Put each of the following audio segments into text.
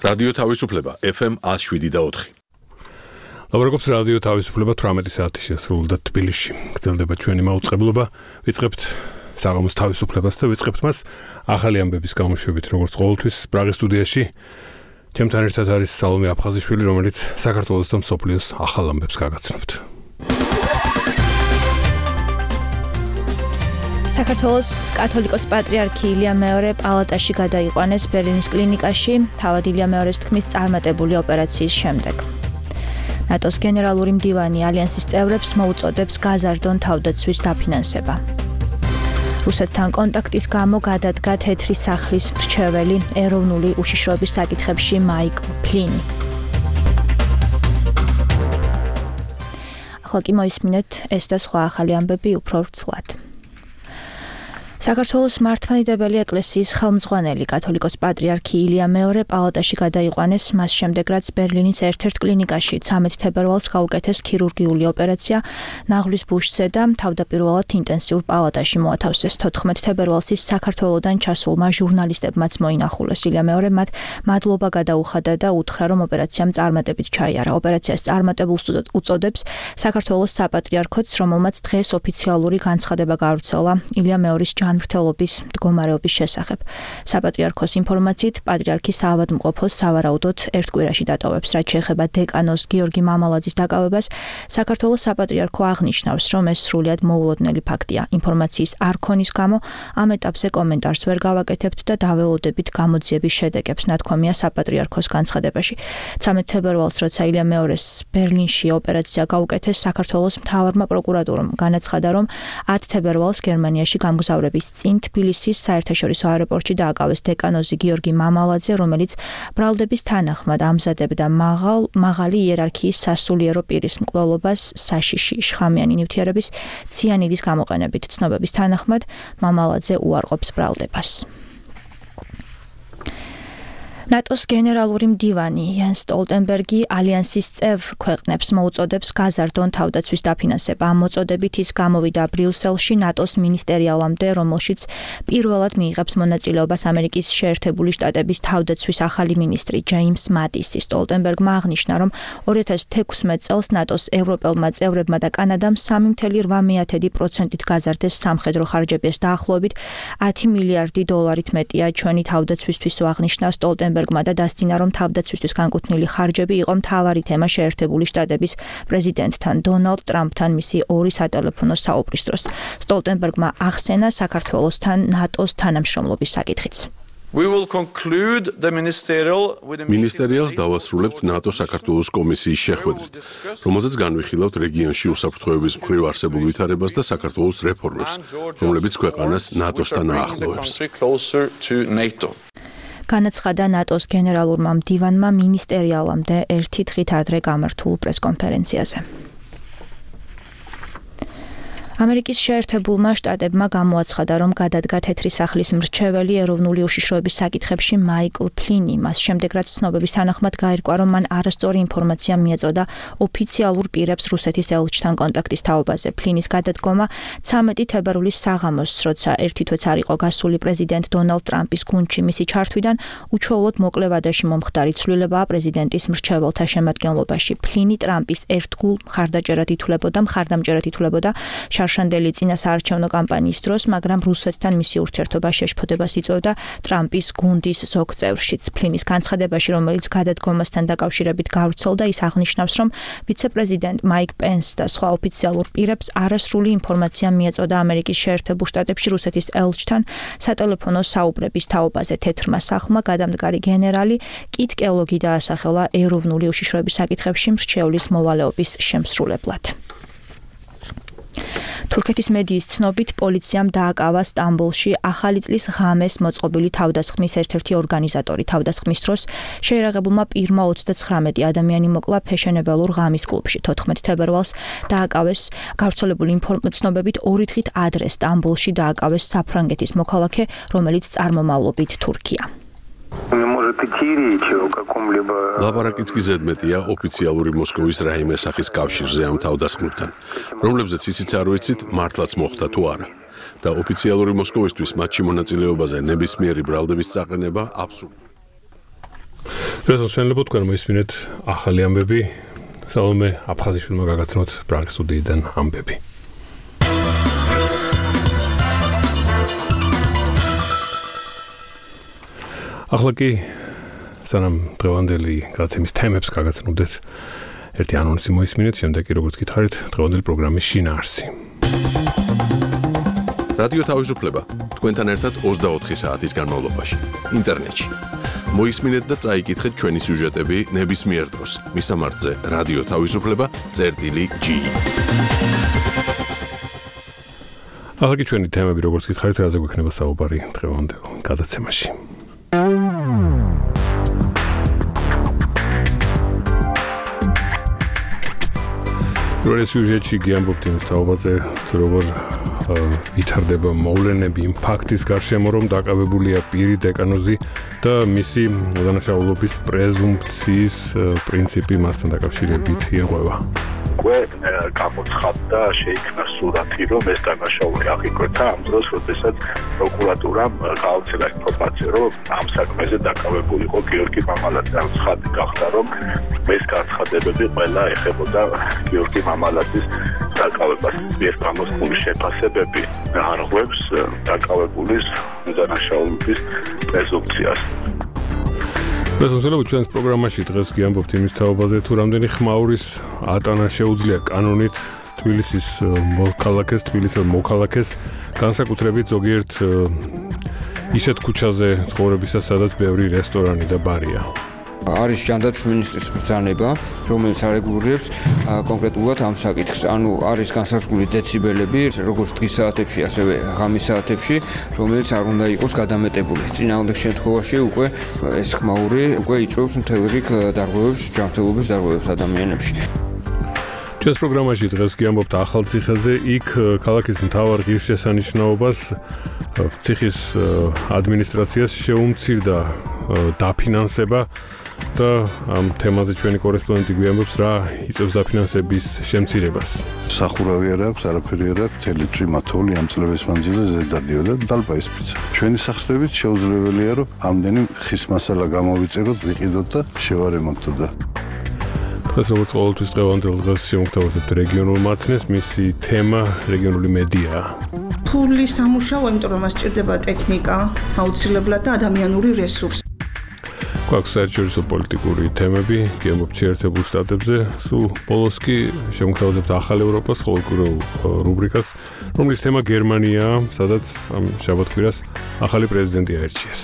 რადიო თავისუფლება FM 107.4. ლაპარაკობს რადიო თავისუფლება 18 საათი შესრულდა თბილისში. გრძელდება ჩვენი მაუწყებლობა. ვიწყებთ საღამოს თავისუფლებას და ვიწყებთ მას ახალი ამბების გამოშვებით, როგორც ყოველთვის პრაღის სტუდიაში. ჩემთან ერთად არის სალომე აფხაზიშვილი, რომელიც საქართველოს და მსოფლიოს ახალ ამბებს გაგაცნობთ. საქართველოს კათოლიკოს პატრიარქი ილია მეორე პალატაში გადაიყვანეს ბერლინის კლინიკაში, თავად ილია მეორის თქმით წარმატებული ოპერაციის შემდეგ. ნატოს გენერალური მდივანი ალიანსის წევრებს მოუწოდებს გაზარდონ თავდაცვის დაფინანსება. რუსეთთან კონტაქტის გამო გადადგა თეთრი სახლის მრჩეველი ეროვნული უშიშროების საკითხებში მაიკლ ფლინი. ახლა კი მოისმინეთ ეს და სხვა ახალი ამბები უფრო ვრცლად. საქართველოს მართლმადიდებელი ეკლესიის ხელმძღვანელი კათოლიკოს პატრიარქი ილია მეორე პალატაში გადაიყვანეს, მას შემდეგ რაც ბერლინის ერთ-ერთ კლინიკაში 13 თებერვალს გაუკეთეს ქირურგიული ოპერაცია ნაღლის ბუშზე და თავდაპირველად ინტენსიურ პალატაში მოათავსეს. 14 თებერვალს ის საქართველოდან ჩასულმა ჟურნალისტებმაც მოინახულეს. ილია მეორე მათ მადლობა გადაუხადა და უთხრა, რომ ოპერაციამ წარმატებით ჩაიარა. ოპერაციას წარმატებულს უწოდებს საქართველოს საპატრიარქოც, რომელმაც დღეს ოფიციალური განცხადება გავრცელა ილია მეორის მმართველობის მდგომარეობის შესახებ. საპატრიარქოს ინფორმაციით, პატრიარქი საავადმყოფოს სავარაუდოდ ერთ კვირაში დატოვებს. რაც შეეხება დეკანოს გიორგი მამალაძის დაკავებას, საქართველოს საპატრიარქო აღნიშნავს, რომ ეს სრულიად მოულოდნელი ფაქტია. ინფორმაციის არ ქონის გამო ამ ეტაპზე კომენტარს ვერ გავაკეთებთ და დაველოდებით გამოძიების შედეგებს, ნათქვამია საპატრიარქოს განცხადებაში. 13 თებერვალს, როცა ილია მეორის ბერლინში ოპერაცია გაუკეთეს, საქართველოს მთავარმა პროკურატურამ განაცხადა, რომ 10 თებერვალს გერმანიაში გამგზავრების წინ თბილისის საერთაშორისო აეროპორტში დააკავეს დეკანოზი გიორგი მამალაძე, რომელიც ბრალდების თანახმად ამზადებდა მაღალი იერარქიის სასულიერო პირის მკვლელობას საშიში შხამიანი ნივთიერების ციანიდის გამოყენებით. ცნობების თანახმად მამალაძე უარყოფს ბრალდებას. ნატოს გენერალური მდივანი იან სტოლტენბერგი ალიანსის წევრ ქვეყნებს მოუწოდებს გაზარდონ თავდაცვის დაფინანსება. ამ მოწოდებით ის გამოვიდა ბრიუსელში ნატოს მინისტერიალამდე, რომელშიც პირველად მიიღებს მონაწილეობას ამერიკის შეერთებული შტატების თავდაცვის ახალი მინისტრი ჯეიმს მატისი. სტოლტენბერგმა აღნიშნა, რომ 2016 წელს ნატოს ევროპელმა წევრებმა და კანადამ 3.8% გაზარდეს სამხედრო ხარჯების დაახლოებით 10 მილიარდი დოლარით მეტია ჩვენი თავდაცვისთვის, აღნიშნა სტოლტენბერგი და დასცინა, რომ თავდაცვისთვის განკუთვნილი ხარჯები იყო მთავარი თემა შეერთებული შტატების პრეზიდენტთან დონალდ ტრამპთან მისი ორი სატელეფონო საუბრის დროს. სტოლტენბერგმა ახსენა საქართველოსთან ნატოს თანამშრომლობის საკითხიც. მინისტერიალს დავასრულებთ ნატო-საქართველოს კომისიის შეხვედრით, რომელზეც განვიხილავთ რეგიონში უსაფრთხოების მხრივ არსებულ ვითარებას და საქართველოს რეფორმებს, რომლებიც ქვეყანას ნატოსთან აახლოვებს. განაცხადა ნატოს გენერალურმა მდივანმა მინისტერიალამდე ერთი დღით ადრე გამართულ პრესკონფერენციაზე. ამერიკის შეერთებულმა შტატებმა გამოაცხადა, რომ გადადგა თეთრი სახლის მრჩეველი ეროვნული უშიშროების საკითხებში მაიკლ ფლინი. მას შემდეგ, რაც ცნობების თანახმად გაირკვა, რომ მან არასწორი ინფორმაცია მიეწოდა ოფიციალურ პირებს რუსეთის ელჩთან კონტაქტის თაობაზე. ფლინის გადადგომა 13 თებერვლის საღამოს, როცა ერთი თვეც არ იყო გასული პრეზიდენტ დონალდ ტრამპის გუნდში მისი ჩართვიდან, უჩვეულოდ მოკლე ვადაში მომხდარი ცვლილებაა პრეზიდენტის მრჩეველთა შემადგენლობაში. ფლინი ტრამპის ერთგულ მხარდამჭერად ითვლებოდა შარშანდელი წინასაარჩევნო კამპანიის დროს, მაგრამ რუსეთთან მისი ურთიერთობა შეშფოთებას იწვევდა ტრამპის გუნდის ზოგ წევრშიც. ფლინის განცხადებაში, რომელიც გადადგომასთან დაკავშირებით გავრცელდა, ის აღნიშნავს, რომ ვიცე-პრეზიდენტ მაიკ პენს და სხვა ოფიციალურ პირებს არასრული ინფორმაცია მიეწოდა ამერიკის შეერთებულ შტატებში რუსეთის ელჩთან სატელეფონო საუბრების თაობაზე. თეთრმა სახლმა გადამდგარი გენერალი კიტ კელოგი დაასახელა ეროვნული უშიშროების საკითხებში მრჩევლის მოვალეობის შემსრულებლად. თურქეთის მედიის ცნობით, პოლიციამ დააკავა სტამბოლში ახალი წლის ღამეს მოწყობილი თავდასხმის ერთ-ერთი ორგანიზატორი. თავდასხმის დროს შეერაღებულმა პირმა 39 ადამიანი მოკლა ფეშენებელურ ღამის კლუბში. 14 თებერვალს დააკავეს გავრცელებული ცნობებით 2 დღით ადრე სტამბოლში დააკავეს საფრანგეთის მოქალაქე, რომელიც წარმომავლობით თურქია. ლაპარაკიც კი ზედმეტია ოფიციალური მოსკოვის რაიმე სახის კავშირზე ამ თავდასხმებთან, რომლებზეც ისიც არ ვიცით, მართლაც მოხდა თუ არა. და ოფიციალური მოსკოვისთვის მათში მონაწილეობაზე ნებისმიერი ბრალდების წაყენება აბსურდია. Შესაძლებლობა თქვენ მოისმინეთ ახალი ამბები. Salome აფხაზიშვილმა გაგაცნოთ პრაღის სტუდიიდან ამბები. ახლა კი სანამ დღევანდელი გადაცემის თემებს გაგაცნობდეთ, ერთი ანონსი მოისმინეთ, შემდეგ კი როგორც გითხარით, დღევანდელი პროგრამის შინაარსი. რადიო თავისუფლება თქვენთან ერთად 24 საათის განმავლობაში ინტერნეტში. მოისმინეთ და წაიკითხეთ ჩვენი სიუჟეტები ნებისმიერ დროს. მისამართზე რადიო თავისუფლება.ge. ახლა კი ჩვენი თემები როგორც გითხარით, რაზე გვექნება საუბარი დღევანდელ გადაცემაში. Პირველ სიუჟეტში გიამბობთ იმის თაობაზე, როგორ ვითარდება მოვლენები იმ ფაქტის გარშემო, რომ დაკავებულია პირი დეკანოზი და მისი უდანაშაულობის პრეზუმპციის პრინციპი მასთან დაკავშირებით ირღვევა. გამოცხადდა შეიქმნა სურათი, რომ ეს დანაშაული აღიკვეთა ამ დროს, როდესაც პროკურატურამ გააუქცია ინფორმაცია, რომ ამ საქმეზე დაკავებული იყო გიორგი მამალაძე. ამ ცხადი გახდა, რომ ეს განცხადებები ყველა ეხებოდა გიორგი მამალაძის დაკავებას. ეს გამოსული შეფასებები არღვევს დაკავებულის უდანაშაულობის პრეზუმპციას. შესაძლოა ჩვენს პროგრამაში დღეს გიამბობთ იმის თაობაზე, თუ რამდენი ხმაურის ატანა შეუძლია კანონით თბილისის მოქალაქეს განსაკუთრებით ზოგიერთ ისეთ ქუჩაზე ცხოვრებისას, სადაც ბევრი რესტორანი და ბარია. არის ჯანდაცვის მინისტრის ბრძანება, რომელიც არეგულირებს კონკრეტულად ამ საკითხს. ანუ არის განსაზღვრული დეციბელები, როგორც დღის საათებში, ასევე ღამის საათებში, რომელიც არ უნდა იყოს გადამეტებული. წინააღმდეგ შემთხვევაში უკვე ეს ხმაური უკვე იწვევს მთელ რიგ დარღვევებს, ჯანმრთელობის დარღვევებს ადამიანებში. ჩვენს პროგრამაში დღეს გიამბობთ ახალციხეზე, იქ ქალაქის მთავარ ღირსშესანიშნაობას ციხის ადმინისტრაციას შეუმცირდა დაფინანსება და ამ თემაზე ჩვენი კორესპონდენტი გვიამბობს, რა იწევს დაფინანსების შემცირებას. სახურავი არ აქვს, არაფერი არ აქვს, მთელი წვიმა თოვლი ამ წლების მანძილზე ზედადიოდა და დალპაისპიცა. ჩვენი სახსრებით შეუძლებელია, რომ ამდენი ხის მასალა გამოვიწეროთ, ვიყიდოთ და შევარემონტოთ და დღეს როგორც ყოველთვის დღევანდელ დღეს შემოგთავაზებთ რეგიონულ მაცნეს, მისი თემა რეგიონული მედიაა. ფული სამუშაო, იმიტომ რომ მას სჭირდება ტექნიკა, აუცილებლად და ადამიანური რესურსი. გვაქვს საერთაშორისო პოლიტიკური თემები, გიამბობთ შეერთებულ შტატებზე, სულ ბოლოს კი შემოგთავაზებთ ახალ ევროპას ყოველკვირეულ რუბრიკას, რომლის თემა გერმანიაა, სადაც ამ შაბათ-კვირას ახალი პრეზიდენტი აირჩიეს.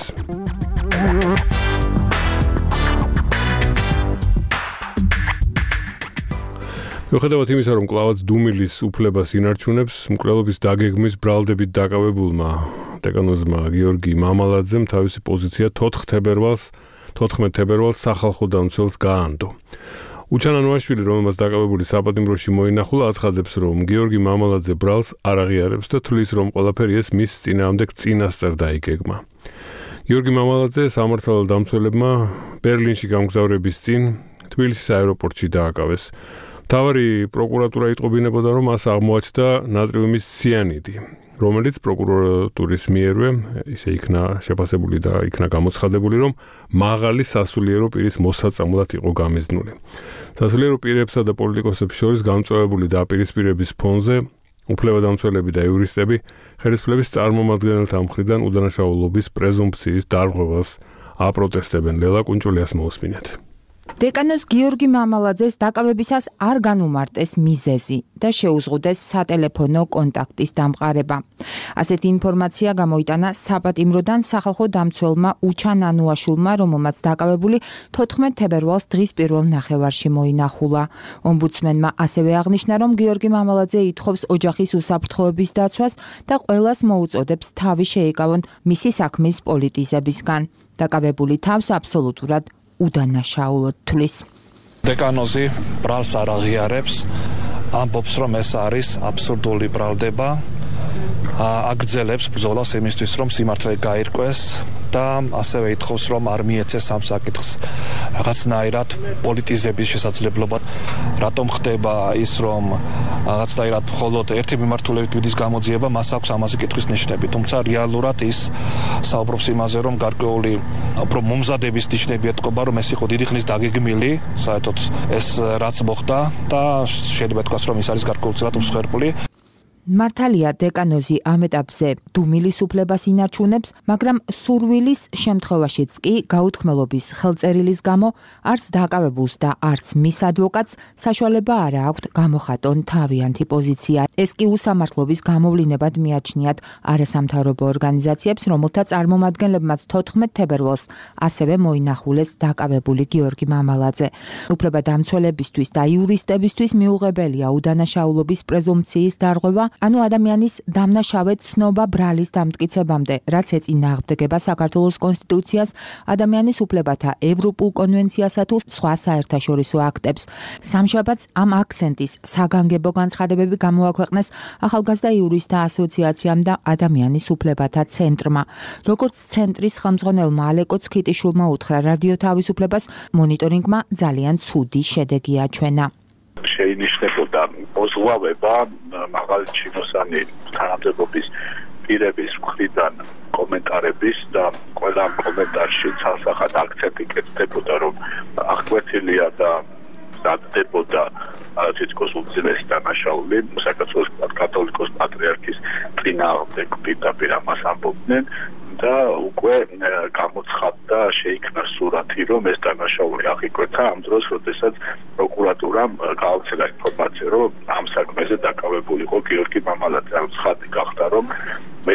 მიუხედავად იმისა, რომ კლავაც დუმილის უფლებას ინარჩუნებს, მკვლელობის დაგეგმვის ბრალდებით დაკავებულმა დეკანოზმა გიორგი მამალაძემ თავისი პოზიცია 14 თებერვალს სახალხო დამცველს გაანდო. უჩან ანუაშვილი, რომელმაც დაკავებული საპატიმროში მოინახულა, აცხადებს, რომ გიორგი მამალაძე ბრალს არ აღიარებს და თვლის, რომ ყველაფერი ეს მის წინააღმდეგ წინასწარ დაიგეგმა. გიორგი მამალაძე სამართალ დამცველებმა ბერლინში გამგზავრების წინ თბილისის აეროპორტში დააკავეს. მთავარი პროკურატურა იტყობინებოდა, რომ მას აღმოაჩნდა ნატრიუმის ციანიდი, რომელიც პროკურატურის მიერვე ისე იქნა შეფასებული და იქნა გამოცხადებული, რომ მაღალი სასულიერო პირის მოსაწამლად იყო გამიზნული. სასულიერო პირებსა და პოლიტიკოსებს შორის გამწვავებული დაპირისპირების ფონზე უფლებადამცველები და იურისტები ხელისუფლების წარმომადგენელთა მხრიდან უდანაშაულობის პრეზუმპციის დარღვევას აპროტესტებენ. ლელა კუნჭულიას მოусმინეთ. დეკანოზ გიორგი მამალაძეს დაკავებისას არ განუმარტეს მიზეზი და შეუზღუდეს სატელეფონო კონტაქტის დამყარება. ასეთი ინფორმაცია გამოიტანა საპატიმროდან სახალხო დამცველმა უჩან ანუაშვილმა, რომელმაც დაკავებული 14 თებერვალს დღის პირველ ნახევარში მოინახულა. ომბუდსმენმა ასევე აღნიშნა, რომ გიორგი მამალაძე ითხოვს ოჯახის უსაფრთხოების დაცვას და ყველას მოუწოდებს თავი შეეკავონ მისი საქმის პოლიტიზებისგან. დაკავებული თავს აბსოლუტურად უდანაშაულოდ თვლის. დეკანოზი ბრალს არ აღიარებს, ამბობს, რომ ეს არის აბსურდული ბრალდება, აგრძელებს ბრძოლას იმისთვის, რომ სიმართლე გაირკვეს და ასევე ითხოვს, რომ არ მიეცეს ამ საკითხს რაღაცნაირად პოლიტიზების შესაძლებლობა. რატომ ხდება ის, რომ რაღაცნაირად მხოლოდ ერთი მიმართულებით მიდის გამოძიება, მას აქვს ამაზე კითხვის ნიშნები, თუმცა რეალურად ის საუბრობს იმაზე, რომ გარკვეული უფრო მომზადების ნიშნები ეთყობა, რომ ეს იყო დიდი ხნის დაგეგმილი, საერთოდ ეს რაც მოხდა და შეიძლება თქვას, რომ ის არის გარკვეულწილად მსხვერპლი. მართალია დეკანოზი ამ ეტაპზე დუმილის უფლებას ინარჩუნებს, მაგრამ სურვილის შემთხვევაშიც კი გაუთქმელობის ხელწერილის გამო არც დაკავებულს და არც მის ადვოკატს საშუალება არ აქვთ გამოხატონ თავიანთი პოზიცია. ეს კი უსამართლობის გამოვლინებად მიაჩნიათ არასამთავრობო ორგანიზაციებს, რომელთა წარმომადგენლებმაც 14 თებერვალს ასევე მოინახულეს დაკავებული გიორგი მამალაძე. უფლებადამცველებისთვის და იურისტებისთვის მიუღებელია უდანაშაულობის პრეზუმპციის დარღვევა, ანუ ადამიანის დამნაშავედ ცნობა ბრალის დამტკიცებამდე, რაც ეწინააღმდეგება საქართველოს კონსტიტუციას, ადამიანის უფლებათა ევროპულ კონვენციასა თუ სხვა საერთაშორისო აქტებს. სამშაბათს ამ აქცენტის საგანგებო განცხადებები გამოაქვეყნეს ახალგაზრდა იურისტთა ასოციაციამ და ადამიანის უფლებათა ცენტრმა. როგორც ცენტრის ხელმძღვანელმა ალეკო ცქიტიშვილმა უთხრა რადიო თავისუფლებას, მონიტორინგმა ძალიან ცუდი შედეგი აჩვენა. შეინიშნებოდა მოზღვავება მაღალი ჩინოსანი თანამდებობის პირების მხრიდან კომენტარების და ყველა კომენტარში ცალსახად აქცენტი კეთდებოდა, რომ აღკვეთილია და დადგებოდა თითქოს უძილესი დანაშაული საქართველოს კათოლიკოს პატრიარქის წინააღმდეგ პირდაპირ ამას ამბობდნენ და უკვე გამოცხადდა, შეიქმნა სურათი, რომ ეს დანაშაული აღიკვეთა ამ დროს, როდესაც პროკურატურამ გააუქცია ინფორმაცია, რომ ამ საქმეზე დაკავებული იყო გიორგი მამალაძე. ცხადი გახდა, რომ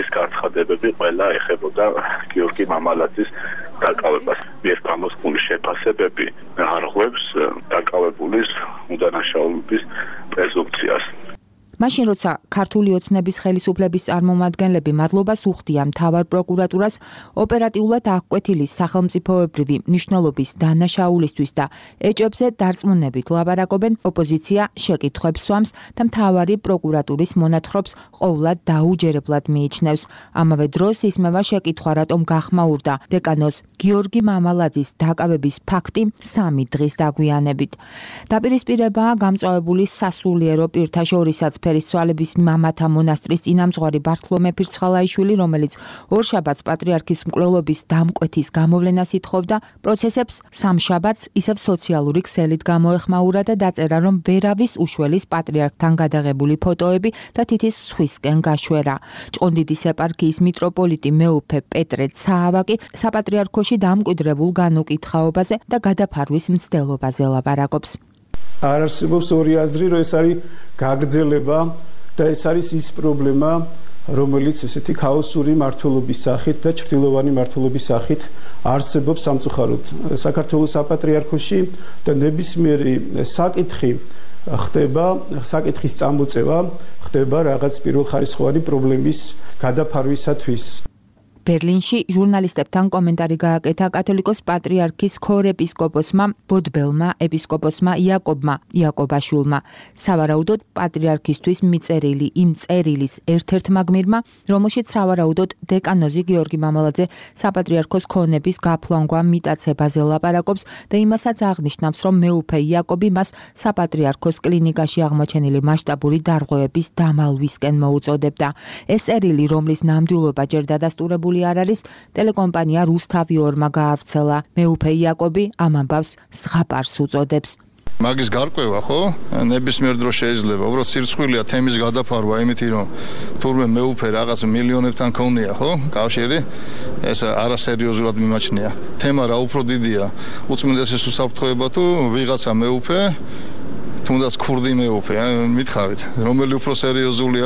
ეს განცხადებები ყველა ეხებოდა გიორგი მამალაძის დაკავებას. მიერ გამოსული შეფასებები არღვევს დაკავებულის უდანაშაულობის პრეზუმპციას. მაშინ როცა ქართული ოცნების ხელისუფლების წარმომადგენლები მადლობას უხდიან მთავარ პროკურატურას ოპერატიულად აღკვეთილი სახელმწიფოებრივი მნიშვნელობის დანაშაულისთვის და ეჭვებზე დარწმუნებით ლაპარაკობენ, ოპოზიცია შეკითხვებს სვამს და მთავარი პროკურატურის მონათხრობს ყოვლად დაუჯერებლად მიიჩნევს. ამავე დროს ისმევა შეკითხვა, რატომ გახმაურდა დეკანოზ გიორგი მამალაძის დაკავების ფაქტი 3 დღის დაგვიანებით. დაპირისპირებაა გამწვავებული სასულიერო პირთა შორისაც ფერისცვალების მამათა მონასტრის წინამძღვარი ბართლომე ფირცხალაიშვილი, რომელიც ორშაბათს პატრიარქის მკვლელობის დამკვეთის გამოვლენას ითხოვდა, პროცესებს სამშაბათს ისევ სოციალური ქსელით გამოეხმაურა და დაწერა, რომ ვერავის უშველის პატრიარქთან გადაღებული ფოტოები და თითის სხვისკენ გაშვერა. ჭყონდიდის ეპარქიის მიტროპოლიტი მეუფე პეტრე ცაავაკი საპატრიარქოში დამკვიდრებულ განუკითხაობაზე და გადაფარვის მცდელობაზე ლაპარაკობს. არ არსებობს ორი აზრი, რომ ეს არის გაგრძელება და ეს არის ის პრობლემა, რომელიც ესეთი ქაოსური მართლობის სახით და ჭრილოვანი მართლობის სახით არსებობს სამწუხაროდ საქართველოს საპატრიარქოში და ნებისმიერი საკითხი ხდება, საკითხის წამოწევა ხდება რაღაც პირველხარისხოვანი პრობლემის გადაფარვისათვის. ბერლინში ჟურნალისტებთან კომენტარი გააკეთა კათოლიკოს პატრიარქის ქორეპისკოპოსმა ბოდბელმა ეპისკოპოსმა იაკობმა იაკობაშვილმა. სავარაუდოდ პატრიარქისთვის მიწერილი იმ წერილის ერთ-ერთმა გმირმა, რომელშიც სავარაუდოდ დეკანოზი გიორგი მამალაძე საპატრიარქოს ქონების გაფლანგვა მიტაცებაზე ლაპარაკობს და იმასაც აღნიშნავს, რომ მეუფე იაკობი მას საპატრიარქოს კლინიკაში აღმოჩენილი მასშტაბური დარღვევების დამალვისკენ მოუწოდებდა. ეს წერილი, რომლის ნამდვილობა ჯერ დადასტურებული არ არის, ტელეკომპანია რუსთავიორმა გაავრცელა. მეუფე იაკობი ამ ამბავს ზღაპარს უწოდებს. მაგის გარკვევა, ხო? ნებისმიერ დროს შეიძლება. უბრალოდ სირცხვილია თემის გადაფარვა, იმითი რომ თურმე მეუფე რაღაც მილიონებთან ქონია, ხო? კავშირი. ეს არასერიოზულად მიმაჩნია. თემა რა უფრო დიდია. უწმინდესის უსაფრთხოება თუ ვიღაცა მეუფე, თუნდაც ქურდი მეუფე, მითხარით, რომელი უფრო სერიოზულია?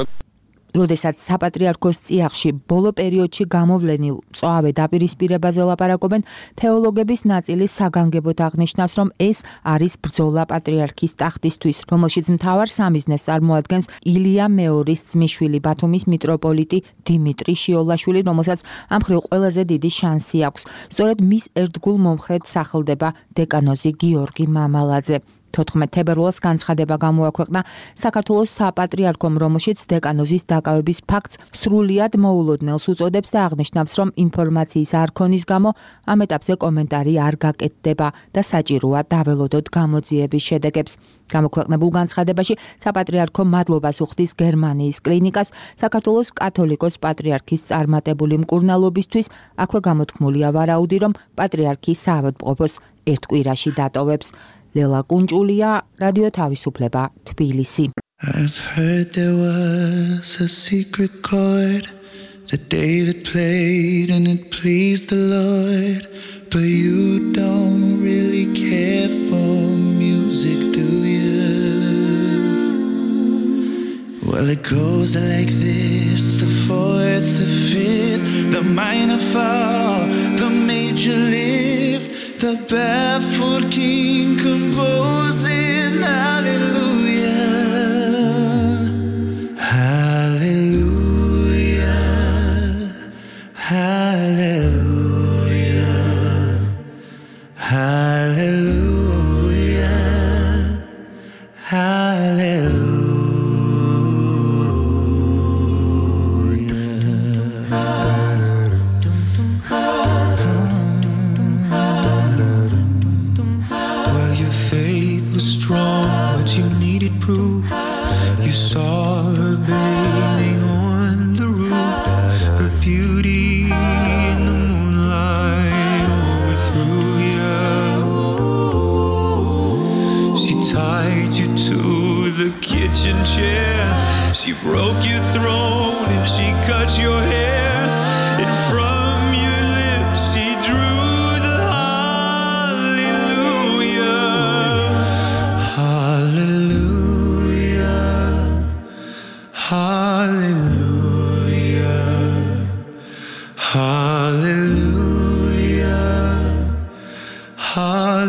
როდესაც საპატრიარქოს წიაღში ბოლო პერიოდში გამოვლენილ მწვავე დაპირისპირებაზე ლაპარაკობენ, თეოლოგების ნაწილი საგანგებოდ აღნიშნავს, რომ ეს არის ბრძოლა პატრიარქის ტახტისთვის, რომელშიც მთავარ სამიზნეს წარმოადგენს ილია მეორის ძმისშვილი ბათუმის მიტროპოლიტი დიმიტრი შიოლაშვილი, რომელსაც ამ მხრივ ყველაზე დიდი შანსი აქვს. სწორედ მის ერთგულ მომხრედ სახლდება დეკანოზი გიორგი მამალაძე. 14 თებერვალს განცხადება გამოაქვეყნა საქართველოს საპატრიარქომ, რომელშიც დეკანოზის დაკავების ფაქტს სრულიად მოულოდნელს უწოდებს და აღნიშნავს, რომ ინფორმაციის არქონის გამო ამ ეტაპზე კომენტარი არ გაკეთდება და საჭიროა დაველოდოთ გამოძიების შედეგებს. გამოქვეყნებულ განცხადებაში საპატრიარქო მადლობას უხდის გერმანიის კლინიკას, საქართველოს კათოლიკოს პატრიარქის წარმატებული მკურნალობისთვის. აქვე გამოთქმულია ვარაუდი, რომ პატრიარქი საავადმყოფოს ერთ კვირაში დატოვებს. ლელა კუნჭულია, რადიო თავისუფლება, თბილისი. I've heard there was a secret chord that David played and it pleased the Lord, but you don't really care for music, do you? Well, it goes like this: the fourth, the fifth, the minor fall, the major lift, the barefoot king composing hallelujah, hallelujah, hallelujah, hallelujah, hallelujah. You needed proof. You saw her bathing on the roof, her beauty in the moonlight overthrew you. She tied you to the kitchen chair, she broke your throne and she cut your hair, and from your lips she drew the hallelujah. Hallelujah, hallelujah, hallelujah.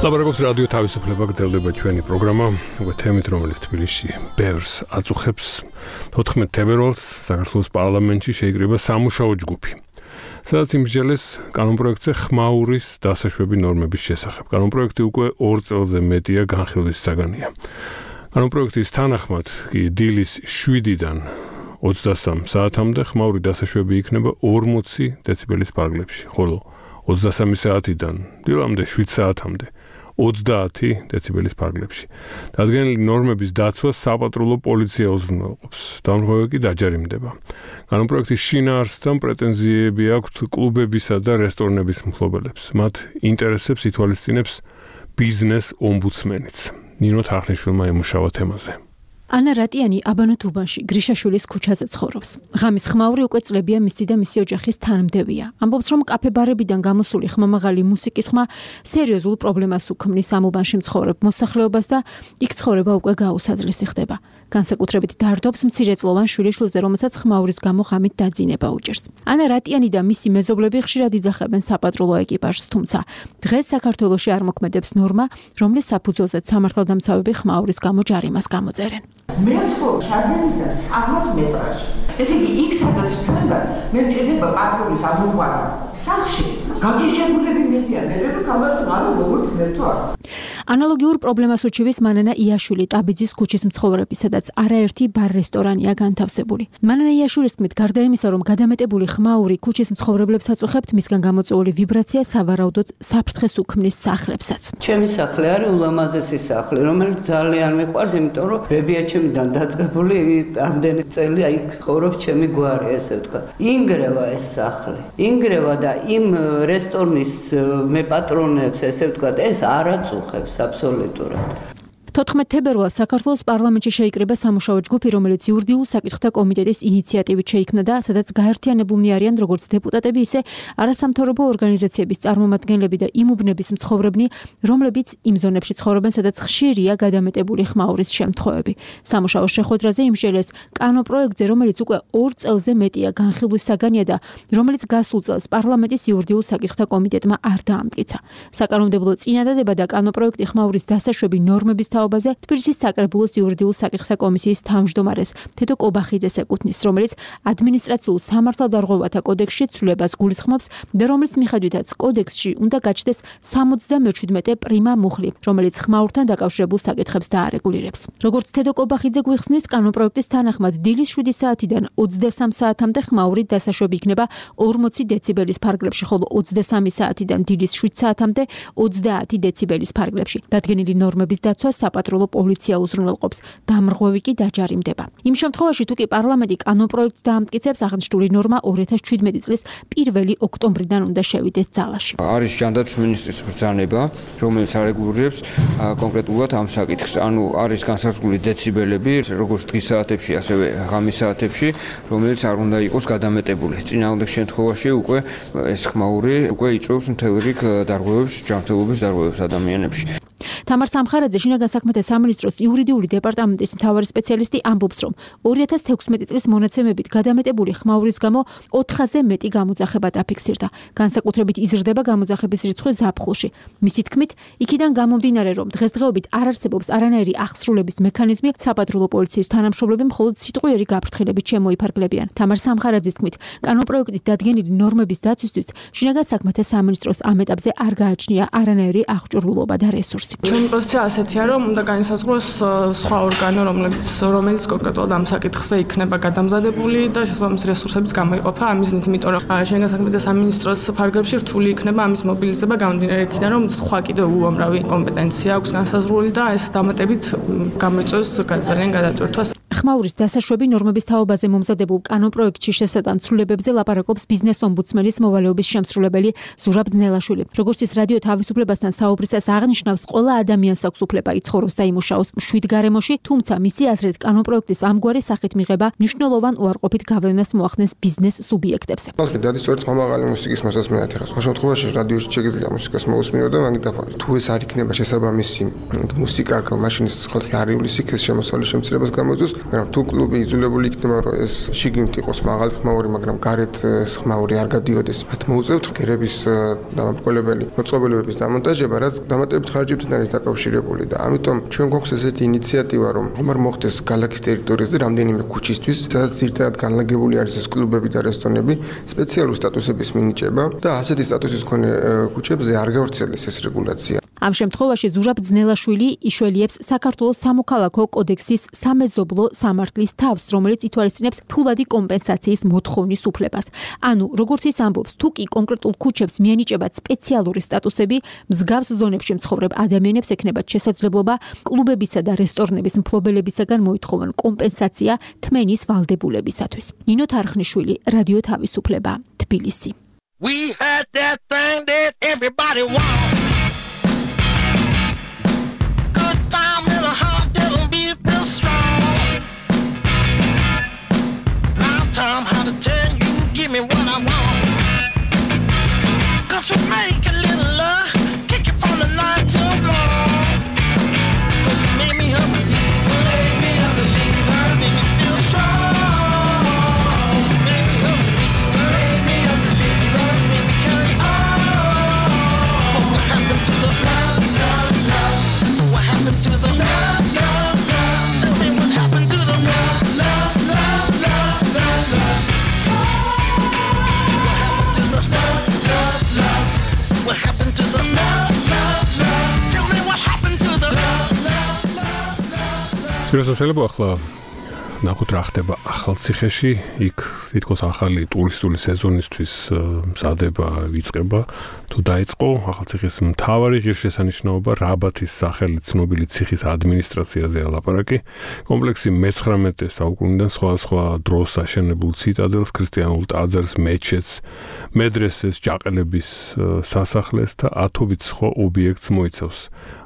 ლაბორატორიის რადიო თავისუფლება გრძელდება ჩვენი პროგრამა, უკვე თემით, რომელიც თბილისში ბევრს აწუხებს. 14 თებერვალს საქართველოს პარლამენტში შეიკრიბა სამუშაო ჯგუფი, სადაც იმსჯელეს კანონპროექტზე ხმაურის დასაშვები ნორმების შესახებ. კანონპროექტი უკვე 2 წელზე მეტია განხილვის საგანია. კანონპროექტის თანახმად კი დილის 7-დან 23 საათამდე ხმაური დასაშვები იქნება 40 დეციბელის ფარგლებში, ხოლო 23 საათიდან დილამდე 7 საათამდე 30 დეციბელის ფარგლებში. დადგენილი ნორმების დაცვა საპატრულო პოლიცია უზრუნველყოფს. დამხმარე კი დაჯარიმდება. კანონპროექტის შინაარსთან პრეტენზიები აქვთ კლუბებისა და რესტორნების მფლობელებს. მათ ინტერესებს ითვალისწინებს ბიზნეს ომბუდსმენიც. ნინო თახნიშვილმა ემუშავა თემაზე. ანა რატიანი აბანო თუბანში გრიშაშვილის ქუჩაზე ცხოვრობს. ღამის ხმაური უკვე წლებია მისი და მისი ოჯახის თანმდევია. ამბობს, რომ კაფე-ბარებიდან გამოსული ხმამაღალი მუსიკის ხმა სერიოზულ პრობლემას უქმნის ამ უბანში მცხოვრებ მოსახლეობას და იქ ცხოვრება უკვე გაუსაძლისი ხდება. განსაკუთრებით დარდობს მცირეწლოვან შვილიშვილზე, რომელსაც ხმაურის გამო ღამით დაძინება უჭერს. ანა რატიანი და მისი მეზობლები ხშირად იძახებენ საპატრულო ეკიპაჟს, თუმცა დღეს საქართველოში არ მოქმედებს ნორმა, რომლის საფუძველზეც სამართალდამცავები ხმაურის გამო ჯარიმას გამოწერენ. მე ვცხოვრობ შარდენისგან 300 მეტრში. ესე იგი, იქ სადაც ჩვენ ვარ, მე მჭირდება პატრულის ამოყვანა. სახლში გაგიჟებულები მედიან, მე რომ გამარჯვება როგორც მერთო არ. ანალოგიურ პრობლემას უჩივის მანანა იაშვილი ტაბიძის ქუჩის მცხოვრები, სადაც არაერთი ბარ-რესტორანია განთავსებული. მანანა იაშვილის თქმით, გარდა იმისა, რომ გადამეტებული ხმაური ქუჩის მცხოვრებლებს აწუხებთ, მისგან გამოწვეული ვიბრაცია სავარაუდოდ საფრთხეს უქმნის სახლებსაც. ჩემი სახლი არის ულამაზესი სახლი, რომელიც ძალიან მიყვარს, იმიტომ რომ რებია ჩემიდან დაწყებული, ამდენი წელი აი ცხოვრობს ჩემი გვარი, ესე ვთქვა. ინგრევა ეს სახლი. ინგრევა და იმ რესტორნის მე პატრონებს, ესე ვთქვა, ეს არ აწუხებს აბსოლუტურად. 14 თებერვალს საქართველოს პარლამენტში შეიკრიბა სამუშაო ჯგუფი, რომელიც იურიდიულ საკითხთა კომიტეტის ინიციატივით შეიქმნა და სადაც გაერთიანებულნი არიან როგორც დეპუტატები, ისე არასამთავრობო ორგანიზაციების წარმომადგენლები და იმ უბნების მცხოვრებნი, რომლებიც იმ ზონებში ცხოვრობენ, სადაც ხშირია გადამეტებული ხმაურის შემთხვევები. სამუშაო შეხვედრაზე იმსჯელეს კანონპროექტზე, რომელიც უკვე 2 წელზე მეტია განხილვის საგანია და რომელიც გასულ წელს პარლამენტის იურიდიულ საკითხთა კომიტეტმა არ დაამტკიცა. საკანონმდებლო წინადადება და კანონპროექტი ხმაურის დასაშვები ნორმების თაობაზე თბილისის საკრებულოს იურიდიულ საკითხთა კომისიის თავმჯდომარეს თედო კობახიძეს ეკუთვნის, რომელიც ადმინისტრაციულ სამართალდარღვევათა კოდექსში ცვლილებას გულისხმობს და რომლის მიხედვითაც კოდექსში უნდა გაჩნდეს 77 პრიმა მუხლი, რომელიც ხმაურთან დაკავშირებულ საკითხებს დაარეგულირებს. როგორც თედო კობახიძე გვიხსნის, კანონპროექტის თანახმად დილის 7 საათიდან 23 საათამდე ხმაურით დასაშვები იქნება 40 დეციბელის ფარგლებში, ხოლო 23 საათიდან დილის 7 საათამდე 30 დეციბელის ფარგლებში. დადგენილი ნორმების დაცვა საპატრულო პოლიცია უზრუნველყოფს, დამრღვევი კი დაჯარიმდება. იმ შემთხვევაში, თუ კი პარლამენტი კანონპროექტს დაამტკიცებს, აღნიშნული ნორმა 2017 წლის 1 ოქტომბრიდან უნდა შევიდეს ძალაში. არის ჯანდაცვის მინისტრის ბრძანება, რომელიც არეგულირებს კონკრეტულად ამ საკითხს. ანუ არის განსაზღვრული დეციბელები, როგორც დღის საათებში, ასევე ღამის საათებში, რომელიც არ უნდა იყოს გადამეტებული. წინააღმდეგ შემთხვევაში უკვე ეს ხმაური უკვე იწვევს მთელ რიგ დარღვევებს, ჯანმრთელობის დარღვევებს ადამიანებში. თამარ სამხარაძე, შინაგან საქმეთა სამინისტროს იურიდიული დეპარტამენტის მთავარი სპეციალისტი, ამბობს, რომ 2016 წლის მონაცემებით გადამეტებული ხმაურის გამო 4-ზე მეტი გამოძახება დაფიქსირდა. განსაკუთრებით იზრდება გამოძახების რიცხვი ზაფხულში. მისი თქმით, იქიდან გამომდინარე, რომ დღესდღეობით არ არსებობს არანაირი აღსრულების მექანიზმი, საპატრულო პოლიციის თანამშრომლები მხოლოდ სიტყვიერი გაფრთხილებით შემოიფარგლებიან. თამარ სამხარაძის თქმით, კანონპროექტით დადგენილი ნორმების დაცვისთვის შინაგან საქმეთა სამინისტროს ამ ეტაპზე არ გააჩნია არანაირი აღჭურვილობა და რესურსი. Ჩემი პოზიცია ასეთია, რომ უნდა განისაზღვროს სხვა ორგანო, რომელიც კონკრეტულად ამ საკითხზე იქნება გადამზადებული და შესაბამის რესურსებიც გამოიყოფა ამ მიზნით, იმიტომ რომ შინაგან საქმეთა სამინისტროს ფარგლებში რთული იქნება ამის მობილიზება გამომდინარე იქიდან, რომ სხვა კიდევ უამრავი კომპეტენცია აქვს განსაზღვრული და ეს დამატებით გამოიწვევს ძალიან გადატვირთვას. ხმაურის დასაშვები ნორმების თაობაზე მომზადებულ კანონპროექტში შესატან ცვლილებებზე ლაპარაკობს ბიზნეს ომბუდსმენის მოვალეობის შემსრულებელი ზურაბ ძნელაშვილი. როგორც ის რადიო თავისუფლებასთან საუბრისას აღნიშნავს, ყველა ადამიანს აქვს უფლება იცხოვროს და იმუშაოს მშვიდ გარემოში, თუმცა მისი აზრით კანონპროექტის ამგვარი სახით მიღება მნიშვნელოვან უარყოფით გავლენას მოახდენს ბიზნეს სუბიექტებზე. ხალხი დადის სწორედ ხმამაღალი მუსიკის მოსასმენად ეხლა. სხვა შემთხვევაში რადიოში შეგიძლია მუსიკას მოусმინო და მაგიტაფონი. თუ ეს არ იქნება შესაბამისი მუსიკა, რომ მაშინ ხალხი არ ივლისიქ ეს შემოსავლის შემცირებას გამოიწვევს, მაგრამ თუ კლუბი იძულებული იქნება, რომ ეს შიგნით იყოს მაღალი ხმაური, მაგრამ გარეთ ეს ხმაური არ გადიოდეს, მათ მოუწევთ ღერების დამამტყველებელი მოწყობილობების დამონტაჟება, რაც დამატებით ხარჯებთან არის დაკავშირებული და ამიტომ ჩვენ გვაქვს ესეთი ინიციატივა, რომ ხომარ მოხდეს ქალაქის ტერიტორიაზე რამდენიმე ქუჩისთვის, სადაც ერთად განლაგებული არის ეს კლუბები და რესტორნები, სპეციალური სტატუსების მინიჭება და ასეთი სტატუსის მქონე ქუჩებზე არ გავრცელდეს ეს რეგულაცია. ამ შემთხვევაში ზურაბ ძნელაშვილი იშველიებს საქართველოს სამოქალაქო კოდექსის სამეზობლო სამართლის თავს, რომელიც ითვალისწინებს ფულადი კომპენსაციის მოთხოვნის უფლებას. ანუ, როგორც ის ამბობს, თუ კი კონკრეტულ ქუჩებს მიენიჭებათ სპეციალური სტატუსები, მსგავს ზონებში მცხოვრებ ადამიანებს ექნებათ შესაძლებლობა კლუბებისა და რესტორნების მფლობელებისაგან მოითხოვონ კომპენსაცია თმენის ვალდებულებისათვის. ნინო თარხნიშვილი, რადიო თავისუფლება, თბილისი. We had that thing that everybody wants. How to tell you, give me what I want. 'Cause we make a little love, kick it from the night till morning. 'Cause you made me a believer, made me a believer, made me feel strong. I said you made me a believer, made me a believer, made me carry on. But what happened to the love, love, love? What happened to the love, love, love? Tell me what happened to the love, love, love, love, love, love? What happened to the love, love, love? Tell me what happened to the love, love, love, love. შეიძლება ახლა ნახოთ რა ხდება ახალ ციხეში, იქ თითქოს ახალი ტურისტული სეზონისთვის მზადება იწყება. თუ დაიწყო ახალ ციხის მთავარი ღირსშესანიშნაობა რაბათის სახელით ცნობილი ციხის ადმინისტრაციაზე ლაპარაკი. კომპლექსი მე-19 საუკუნიდან სხვადასხვა დროს აშენებულ ციტადელს, ქრისტიანულ ტაძარს, მეჩეთს, მედრესეს, ჯაყელების სასახლეს და ათობით სხვა ობიექტს მოიცავს.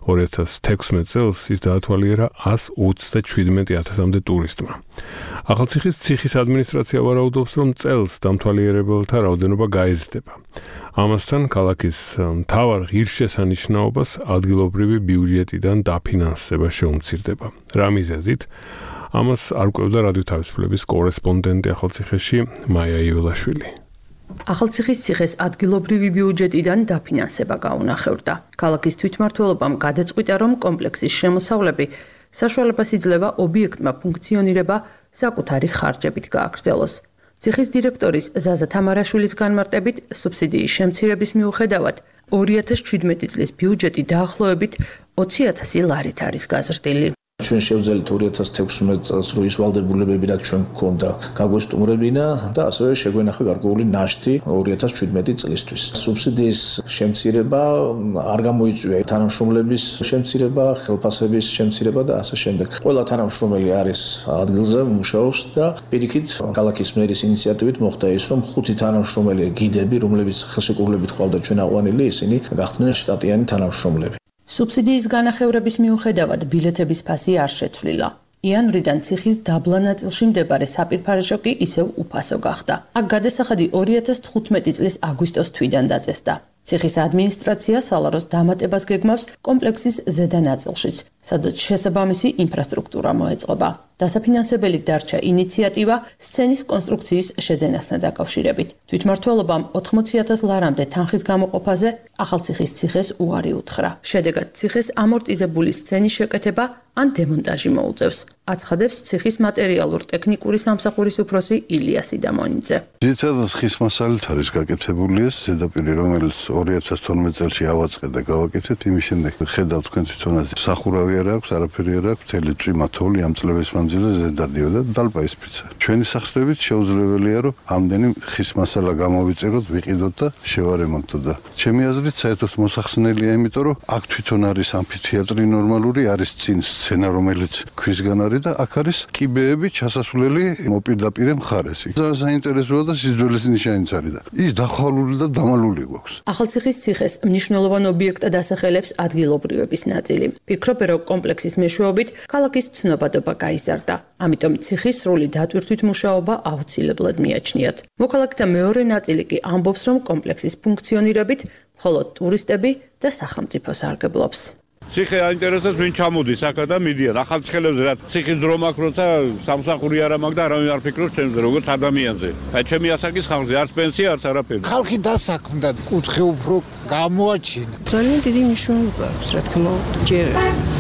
2016 წელს ის დაათვალიერა 127,000-მდე ტურისტმა. ახალციხის ციხის ადმინისტრაცია ვარაუდობს, რომ წელს დამთვალიერებელთა რაოდენობა გაიზრდება. ამასთან ქალაქის მთავარ ღირსშესანიშნაობას ადგილობრივი ბიუჯეტიდან დაფინანსება შეუმცირდება. რა მიზეზით? ამას არ კვევდა რადიო თავისუფლების კორესპონდენტი ახალციხეში მაია იველაშვილი. ახალციხის ციხეს ადგილობრივი ბიუჯეტიდან დაფინანსება გაუნახევრდა. ქალაქის თვითმმართველობამ გადაწყვიტა, რომ კომპლექსის შემოსავლები საშუალებას იძლევა ობიექტმა ფუნქციონირება საკუთარი ხარჯებით გააგრძელოს. ციხის დირექტორის ზაზა თამარაშვილის განმარტებით, სუბსიდიის შემცირების მიუხედავად 2017 წლის ბიუჯეტი დაახლოებით 20,000 ლარით არის გაზრდილი. ჩვენ შევძელით 2016 წელს რო ის ვალდებულებები რაც ჩვენ გქონდა გაგვესტუმრებინა და ასევე შეგვენახა გარკვეული ნაშთი 2017 წლისთვის. სუბსიდიის შემცირება არ გამოიწვია თანამშრომლების შემცირება, ხელფასების შემცირება და ასე შემდეგ. ყველა თანამშრომელი არის ადგილზე, მუშაობს და პირიქით ქალაქის მერის ინიციატივით მოხდა ის, რომ 5 თანამშრომელი გიდები, რომლებიც ხელშეკრულებით ყავდა ჩვენ აყვანილი, ისინი გახდნენ შტატიანი თანამშრომლები. სუბსიდიის განახევრების მიუხედავად ბილეთების ფასი არ შეცვლილა. იანვრიდან ციხის დაბლა ნაწილში მდებარე საპირფარეშო კი ისევ უფასო გახდა. აქ გადასახადი 2015 წლის აგვისტოს თვიდან დაწესდა. ციხის ადმინისტრაცია სალაროს დამატებას გეგმავს კომპლექსის ზედა ნაწილშიც, სადაც შესაბამისი ინფრასტრუქტურა მოეწყობა. დასაფინანსებელი დარჩა ინიციატივა სცენის კონსტრუქციის შეძენასთან დაკავშირებით. თვითმმართველობამ 80,000 ლარამდე თანხის გამოყოფაზე ახალციხის ციხეს უარი უთხრა. შედეგად ციხეს ამორტიზებული სცენის შეკეთება ან დემონტაჟი მოუწევს. აცხადებს ციხის მატერიალურ-ტექნიკური სამსახურის უფროსი ილიას იდამონიძე. ძირითადად ხის მასალით არის გაკეთებული ეს ზედაპირი, რომელიც 2012 წელს ავაწყე და გავაკეთეთ. იმის შემდეგ ხედავთ თქვენ თვითონაც სახურავი არ აქვს, არაფერი არ აქვს, მთელი წვიმა თოვლი ამ წლების მანძილზე ზედადიოდა და დალპა ისფიცა. ჩვენი სახსრებით შეუძლებელია, რომ ამდენი ხის მასალა გამოვიწეროთ, ვიყიდოთ და შევარემონტოთ და ჩემი აზრით საერთოდ მოსახსნელია, იმიტომ რომ აქ თვითონ არის ამფითეატრი ნორმალური, არის წინ სცენა, რომელიც ქვისგან არის და აქ არის კიბეები ჩასასვლელი მოპირდაპირე მხარეს. საინტერესოა და სიძველეს ნიშანიც არის და ის დახვალული და დამალული გვაქვს. ახალციხის ციხეს მნიშვნელოვან ობიექტად ასახელებს ადგილობრივების ნაწილი. ფიქრობენ, რომ კომპლექსის მეშვეობით ქალაქის ცნობადობა გაიზარდა. ამიტომ ციხის სრული დატვირთვით მუშაობა აუცილებლად მიაჩნიათ. მოქალაქეთა მეორე ნაწილი კი ამბობს, რომ კომპლექსის ფუნქციონირებით მხოლოდ ტურისტები და სახელმწიფო სარგებლობს. ციხე აინტერესებს ვინ ჩამოდის აქ და მიდიან ახალციხელებზე რა ციხის დრო მაქვს როცა სამსახური არ მაქვს და არავინ არ ფიქრობს ჩემზე როგორც ადამიანზე. აი ჩემი ასაკის ხალხზე არც პენსია არც არაფერი. ხალხი დასაქმდა კუთხე უფრო გამოაჩინა. ძალიან დიდი მნიშვნელობა აქვს რა თქმა უნდა ჯერ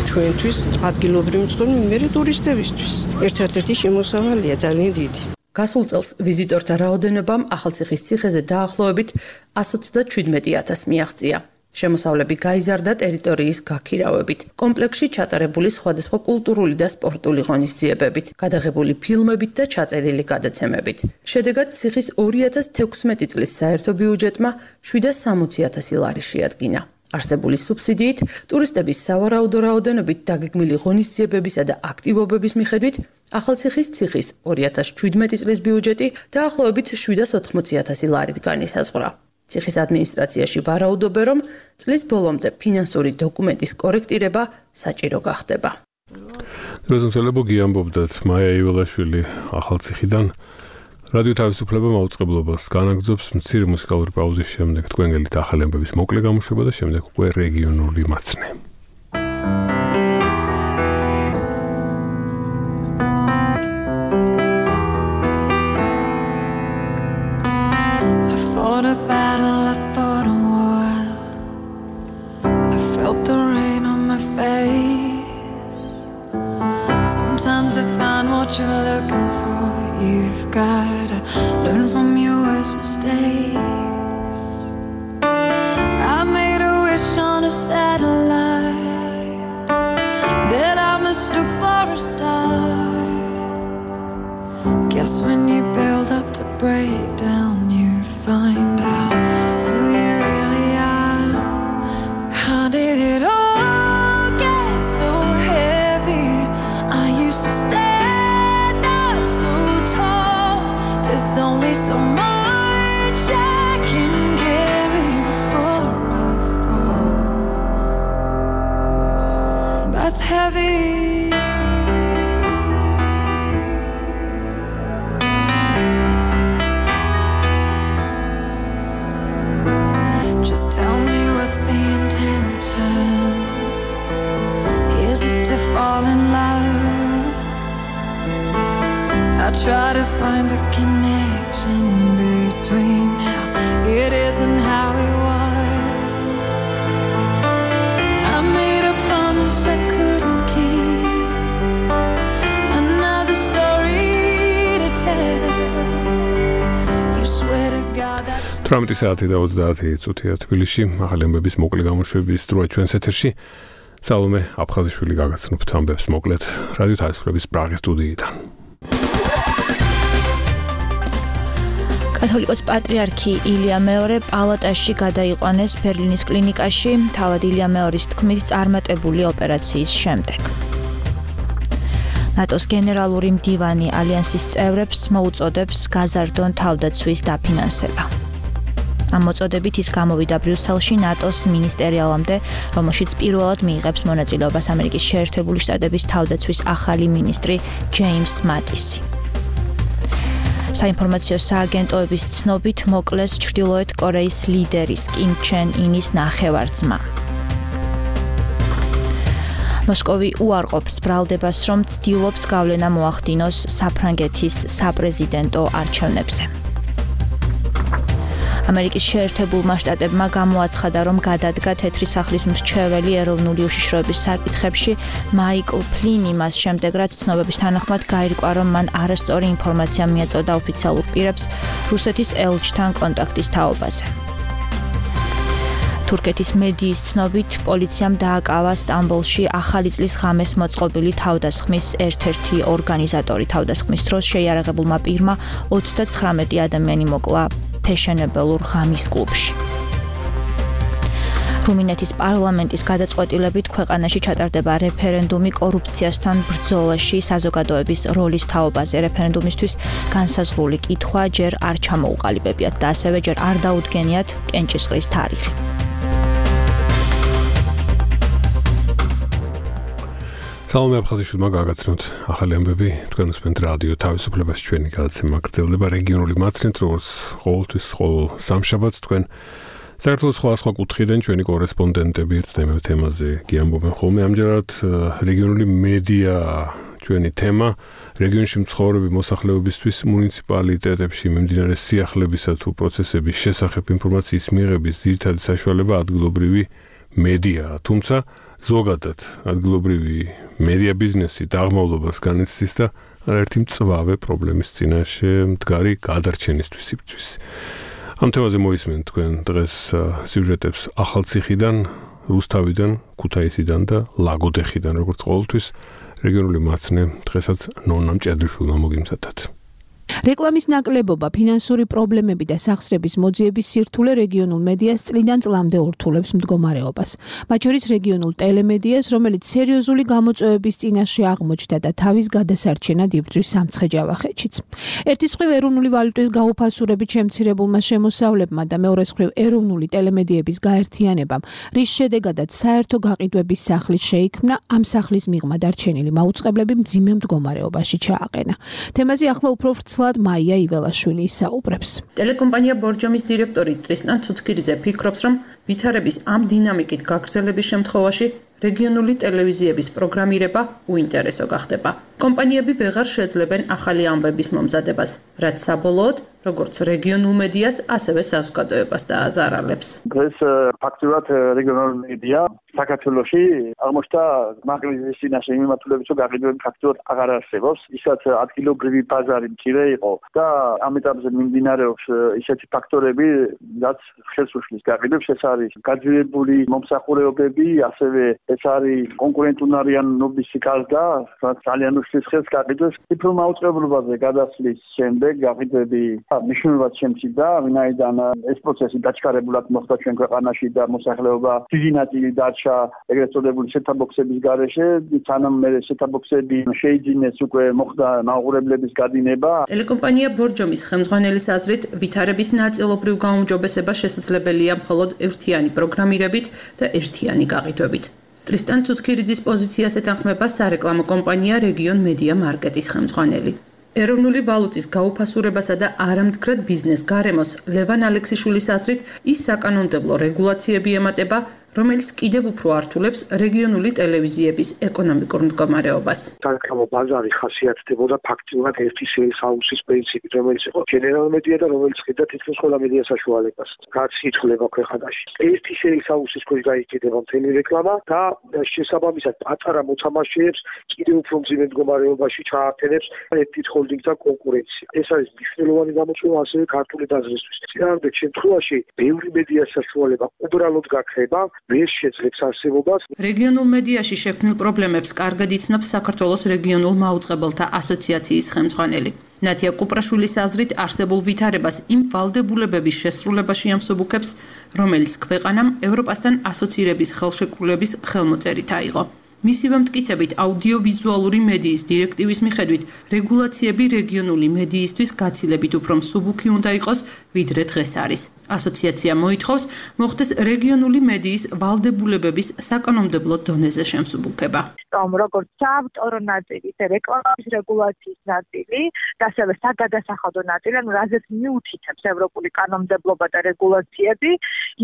ჩვენთვის ადგილობრივი მცხოვრები მე ტურისტებისთვის. ერთ-ერთი შემოსავალია ძალიან დიდი. გასულ წელს ვიზიტორთა რაოდენობამ ახალციხის ციხეზე დაახლოებით 127,000 მიაღწია. შემოსავლები გაიზარდა ტერიტორიის გაქირავებით, კომპლექსში ჩატარებული სხვადასხვა კულტურული და სპორტული ღონისძიებებით, გადაღებული ფილმებით და ჩაწერილი გადაცემებით. შედეგად ციხის 2016 წლის საერთო ბიუჯეტმა 760,000 ლარი შეადგინა. არსებული სუბსიდიით ტურისტების სავარაუდო რაოდენობით დაგეგმილი ღონისძიებებისა და აქტივობების მიხედვით ახალციხის ციხის 2017 წლის ბიუჯეტი დაახლოებით 780,000 ლარით განისაზღვრა. ციხის ადმინისტრაციაში ვარაუდობენ, რომ წლის ბოლომდე ფინანსური დოკუმენტის კორექტირება საჭირო გახდება. როზენცელებო გიამბობდათ მაია იველაშვილი ახალციხიდან. რადიო თავისუფლება მაუწყებლობას განაგრძობს მცირე მუსიკალური პაუზის შემდეგ თქვენ გელით ახალი ამბების მოკლე გამოშვება და შემდეგ უკვე რეგიონული მაცნე. Sometimes I find what you're looking for. You've gotta learn from your worst mistakes. I made a wish on a satellite that I mistook for a star. Guess when you build up to break down, you find out who you really are. How did it all get so heavy? I used to stand up so tall. There's only so much I can carry before I fall. Just tell me what's the intention. Is it to fall in love? I try to find a connection between how it is and how it was. I made a promise I couldn't keep. Another story to tell. You swear to God that 18 საათი და 30 წუთია თბილისში. ახალი ამბების მოკლე გამოშვების დროა ჩვენს ეთერში. სალომე აფხაზიშვილი გაგაცნობთ ამბებს მოკლედ რადიო თავისუფლების პრაღის სტუდიიდან. კათოლიკოს პატრიარქი ილია მეორე პალატაში გადაიყვანეს ბერლინის კლინიკაში, თავად ილია მეორის თქმით წარმატებული ოპერაციის შემდეგ. ნატოს გენერალური მდივანი ალიანსის წევრებს მოუწოდებს გაზარდონ თავდაცვის დაფინანსება. ამ მოწოდებით ის გამოვიდა ბრიუსელში ნატოს მინისტერიალამდე, რომელშიც პირველად მიიღებს მონაწილეობას ამერიკის შეერთებული შტატების თავდაცვის ახალი მინისტრი ჯეიმს მატისი. საინფორმაციო სააგენტოების ცნობით მოკლეს ჩრდილოეთ კორეის ლიდერის კიმ ჩენ ინის ნახევარ-ძმა. მოსკოვი უარყოფს ბრალდებას, რომ ცდილობს გავლენა მოახდინოს საფრანგეთის საპრეზიდენტო არჩევნებზე. ამერიკის შეერთებულმა შტატებმა გამოაცხადა, რომ გადადგა თეთრი სახლის მრჩეველი ეროვნული უშიშროების საკითხებში მაიკლ ფლინი მას შემდეგ, რაც ცნობების თანახმად გაირკვა, რომ მან არასწორი ინფორმაცია მიაწოდა ოფიციალურ პირებს რუსეთის ელჩთან კონტაქტის თაობაზე. თურქეთის მედიის ცნობით, პოლიციამ დააკავა სტამბოლში ახალი წლის ღამეს მოწყობილი თავდასხმის ერთ-ერთი ორგანიზატორი. თავდასხმის დროს შეიარაღებულმა პირმა 39 ადამიანი მოკლა ფეშენებელურ ღამის კლუბში. რუმინეთის პარლამენტის გადაწყვეტილებით ქვეყანაში ჩატარდება რეფერენდუმი კორუფციასთან ბრძოლაში საზოგადოების როლის თაობაზე. რეფერენდუმისთვის განსაზღვრული კითხვა ჯერ არ ჩამოუყალიბებიათ და ასევე ჯერ არ დაუდგენიათ კენჭისყრის თარიღი. სალომე აფხაზიშვილმა გაგაცნობთ ახალი ამბები. თქვენ უსმენთ რადიო თავისუფლებას, ჩვენი გადაცემა გრძელდება რეგიონული მაცნით, როგორც ყოველთვის ყოველ სამშაბათს თქვენ საქართველოს სხვა კუთხიდან ჩვენი კორესპონდენტები ერთ თემაზე გიამბობენ ხოლმე. ამჯერად რეგიონული მედია ჩვენი თემა. რეგიონში მცხოვრები მოსახლეობისთვის მუნიციპალიტეტებში მიმდინარე სიახლებისა თუ პროცესების შესახებ ინფორმაციის მიღების ძირითადი საშუალება ადგილობრივი მედიაა, თუმცა ზოგადად ადგილობრივი მედია ბიზნესი დაღმავლობას განიცდის და არაერთი მწვავე პრობლემის წინაშე მდგარი გადარჩენისთვის იბრძვის. ამ თემაზე მოისმენთ თქვენ დღეს სიუჟეტებს ახალციხიდან, რუსთავიდან, ქუთაისიდან და ლაგოდეხიდან, როგორც ყოველთვის რეგიონული მაცნე დღესაც ნონა მჭედრიშვილმა მოგიმზადათ. რეკლამის ნაკლებობა, ფინანსური პრობლემები და სახსრების მოძიების სირთულე რეგიონულ მედიას წლიდან წლამდე ურთულებს მდგომარეობას. მათ შორის რეგიონულ ტელემედიას, რომელიც სერიოზული გამოწვევების წინაშე აღმოჩნდა და თავის გადასარჩენად იბრძვის სამცხე-ჯავახეთშიც. ერთის მხრივ ეროვნული ვალუტის გაუფასურებით შემცირებულმა შემოსავლებმა და მეორეს მხრივ ეროვნული ტელემედიების გაერთიანებამ, რის შედეგადაც საერთო გაყიდვების სახლის შეიქმნა, ამ სახლის მიღმა დარჩენილი მაუწყებლები მძიმე მდგომარეობაში ჩააყენა. თემაზე ახლა უფრო მაია იველაშვილი ისაუბრებს. ტელეკომპანია ბორჯომის დირექტორი ტრისტან ცუცქირიძე ფიქრობს, რომ ვითარების ამ დინამიკით გაგრძელების შემთხვევაში რეგიონული ტელევიზიების პროგრამირება უინტერესო გახდება. კომპანიები ვეღარ შეძლებენ ახალი ამბების მომზადებას, რაც საბოლოოდ როგორც რეგიონულ მედიას, ასევე საზოგადოებას დააზარალებს. დღეს ფაქტურად რეგიონული მედია საქართველოში აღმოჩნდა მაგალითის წინაშე მიმართულებით, რომ გაყიდვები ფაქტურად აღარ არსებობს, ისაც ადგილობრივი ბაზარი მცირე იყო და ამ ეტაპზე მიმდინარეობს ისეთი ფაქტორები, რაც ხელს უშლის გაყიდვებს, ეს არის გაძვირებული მომსახურებები, ასევე ეს არის კონკურენტუნარიანობის გარდა, რაც ძალიან უშლის ხელს გაყიდვებს. ციფრულ მაუწყებლობაზე გადასვლის შემდეგ გაყიდვები მნიშვნელოვნად შემცირდა, ვინაიდან ეს პროცესი დაჩქარებულად მოხდა ჩვენ ქვეყანაში და მოსახლეობა დიდი ნაწილი დარჩა ეგრეთ წოდებული სეტ-აბოქსების გარეშე, სანამ მე სეტ-აბოქსები შეიძინეს, უკვე მოხდა მაუღურებლების გადინება. ტელეკომპანია ბორჯომის ხელმძღვანელის აზრით, ვითარების ნაწილობრივ გაუმჯობესება შესაძლებელია მხოლოდ ერთიანი პროგრამირებით და ერთიანი გაყიდვებით. ტრისტან ცუცქირიძის პოზიციას ეთანხმება სარეკლამო კომპანია რეგიონ მედია მარკეტის ხელმძღვანელი. ეროვნული ვალუტის გაუფასურებასა და არამდგრად ბიზნეს გარემოს ლევან ალექსიშვილის აზრით ის საკანონმდებლო რეგულაციები ემატება, რომელიც კიდევ უფრო ართულებს რეგიონული ტელევიზიების ეკონომიკურ მდგომარეობას. სარეკლამო ბაზარი ხასიათდებოდა ფაქტიურად ერთი სეილს-ჰაუსის პრინციპით, რომელიც იყო ჯენერალ მედია და რომელიც ხედა თითქმის ყველა მედია საშუალებას. რაც ითვლება ქვეყანაში. ერთი სეილს-ჰაუსის ქვეშ გაიყიდება მთელი რეკლამა და შესაბამისად პატარა მოთამაშეებს კიდევ უფრო მძიმე მდგომარეობაში ჩაართენებს ერთი ჰოლდინგთან კონკურენცია. ეს არის მნიშვნელოვანი გამოწვევა ასევე ქართული დაზრისთვის. წინააღმდეგ შემთხვევაში ბევრი მედია საშუალება უბრალოდ გაქრება. ვერ შეძლებს არსებობას. რეგიონულ მედიაში შექმნილ პრობლემებს კარგად იცნობს საქართველოს რეგიონულ მაუწყებელთა ასოციაციის ხელმძღვანელი. ნათია კუპრაშვილის აზრით არსებულ ვითარებას იმ ვალდებულებების შესრულებაში ამსუბუქებს, რომელიც ქვეყანამ ევროპასთან ასოცირების ხელშეკრულების ხელმოწერით აიღო. მისივე მტკიცებით აუდიოვიზუალური მედიის დირექტივის მიხედვით რეგულაციები რეგიონული მედიისთვის გაცილებით უფრო მსუბუქი უნდა იყოს, ვიდრე დღეს არის. ასოციაცია მოითხოვს მოხდეს რეგიონული მედიის ვალდებულებების საკანონმდებლო დონეზე შემსუბუქება. როგორც საავტორო ნაწილი, რეკლამის რეგულაციის ნაწილი და ასევე საგადასახადო ნაწილი, ანუ რაზეც მიუთითებს ევროპული კანონმდებლობა და რეგულაციები,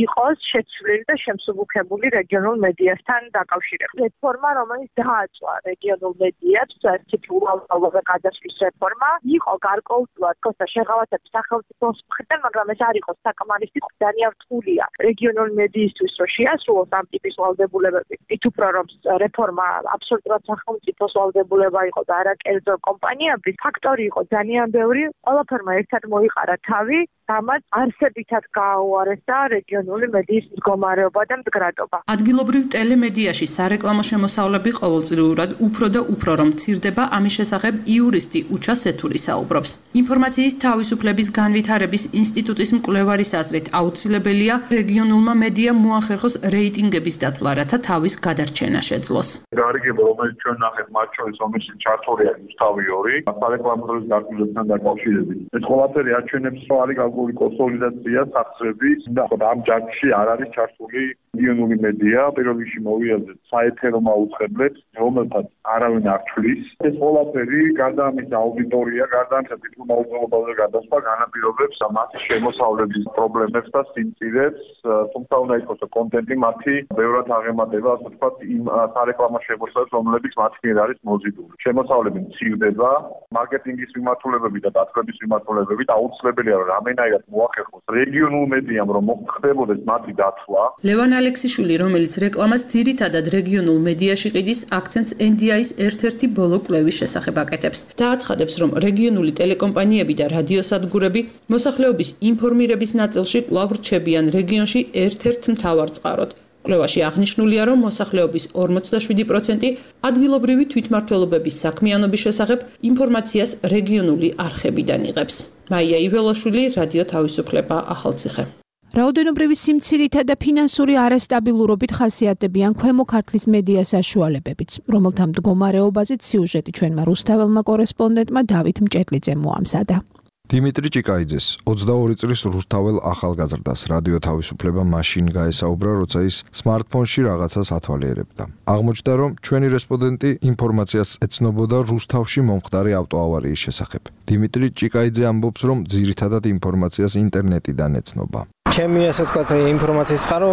იყოს შეცვლილი და შემსუბუქებული რეგიონულ მედიასთან დაკავშირებით. რეფორმა, რომელიც დააწვა რეგიონულ მედიებს, ციფრულობა გადასვლის რეფორმა, იყო გარკვეულწილად კოსტა შეღავათების სახელმწიფოს მხრიდან, მაგრამ ეს არ იყო საკმარისი, ძალიან რთულია რეგიონული მედიისთვის, რომ შეასრულოს ამ ტიპის ვალდებულებები. მით უფრო რომ რეფორმა აბსოლუტურად სახელმწიფოს ვალდებულება იყო და არა კერძო კომპანიების, ფაქტორი იყო ძალიან ბევრი, ყველაფერმა ერთად მოიყარა თავი, რამაც არსებითად გააუარესა რეგიონული მედიის მდგომარეობა და მდგრადობა. ადგილობრივ ტელემედიაში სარეკლამო შემოსავლები ყოველწლიურად უფრო და უფრო რომ მცირდება, ამის შესახებ იურისტი უჩა სეთური საუბრობს. ინფორმაციის თავისუფლების განვითარების ინსტიტუტის მკვლევარის აზრით აუცილებელია რეგიონულმა მედიამ მოახერხოს რეიტინგების დათვლა, რათა თავის გადარჩენა შეძლოს. გარიგება, რომელიც ჩვენ ნახეთ მათ შორის, რომელიც ჩართულია რუსთავი 2, სარეკლამო დაკავშირებთან დაკავშირებით. ეს ყველაფერი აჩვენებს, რომ არის გაგული კონსოლიდაცია სახსრების და ამ ჯგუფში არ არის ჩართული რეგიონული მედია, პირველ რიგში მოვიაზრეთ საეთერო მაუწყებლებს, რომელთაც არავინ არ თვლის. ეს ყველაფერი გარდა ამისა აუდიტორია, გარდა ამისა დიპლომატიურ გადასვლა განაპირობებს მათი შემოსავლების პრობლემებს და სიმწირეს, თუმცა უნდა იყოს კონტენტი მათი ბევრად აღემატება, ასე ვთქვათ, იმ სარეკლამო შემოსავლებს, რომლებიც მათი მიერ არის მოზიდული. შემოსავლები მცირდება, მარკეტინგის მიმართულებები და დათბობის მიმართულებებით აუცილებელია, რომ რამენაირად მოახერხოს რეგიონულ მედიამ, რომ მოხდებოდეს მათი დათვლა. ლევან ალექსიშვილი, რომელიც რეკლამას ძირითადად რეგიონულ მედიაში ყიდის, აქცენტს NDI-ის ერთ-ერთი ბოლო კვლევის შესახებ აკეთებს. დააცხადებს, რომ რეგიონული ტელეკომპანიები და რადიოსადგურები მოსახლეობის ინფორმირების ნაწილში კვლავ რჩებიან რეგიონში ერთ-ერთ მთავარ წყაროდ. კვლევაში აღნიშნულია, რომ მოსახლეობის 47% ადგილობრივი თვითმმართველობების საქმიანობის შესახებ ინფორმაციას რეგიონული არხებიდან იღებს. მაია იველაშვილი, რადიო თავისუფლება, ახალციხე. რაოდენობრივი სიმცირითა და ფინანსური არასტაბილურობით ხასიათდებიან ქვემო ქართლის მედია საშუალებებიც, რომელთა მდგომარეობაზე სიუჟეტი ჩვენმა რუსთაველმა კორესპონდენტმა დავით მჭედლიძემ მოამზადა. დიმიტრი ჭიკაიძეს 22 წლის რუსთაველ ახალგაზრდას რადიო თავისუფლება მაშინ გაესაუბრა, როცა ის სმარტფონში რაღაცას ათვალიერებდა. აღმოჩნდა, რომ ჩვენი რესპონდენტი ინფორმაციას ეცნობოდა რუსთავში მომხდარი ავტოავარიის შესახებ. დიმიტრი ჭიკაიძე ამბობს, რომ ძირითადად ინფორმაციას ინტერნეტიდან ეცნობა. ჩემი ასე ვთქვათ ინფორმაციის წყარო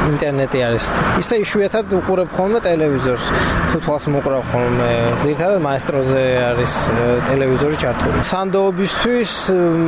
ინტერნეტი არის. ისე იშვიათად უყურებ ხოლმე ტელევიზორს. თუ თვალს მოყრავ ხოლმე, ძირითადად მაესტროზე არის ტელევიზორი ჩართული. სანდოობისთვის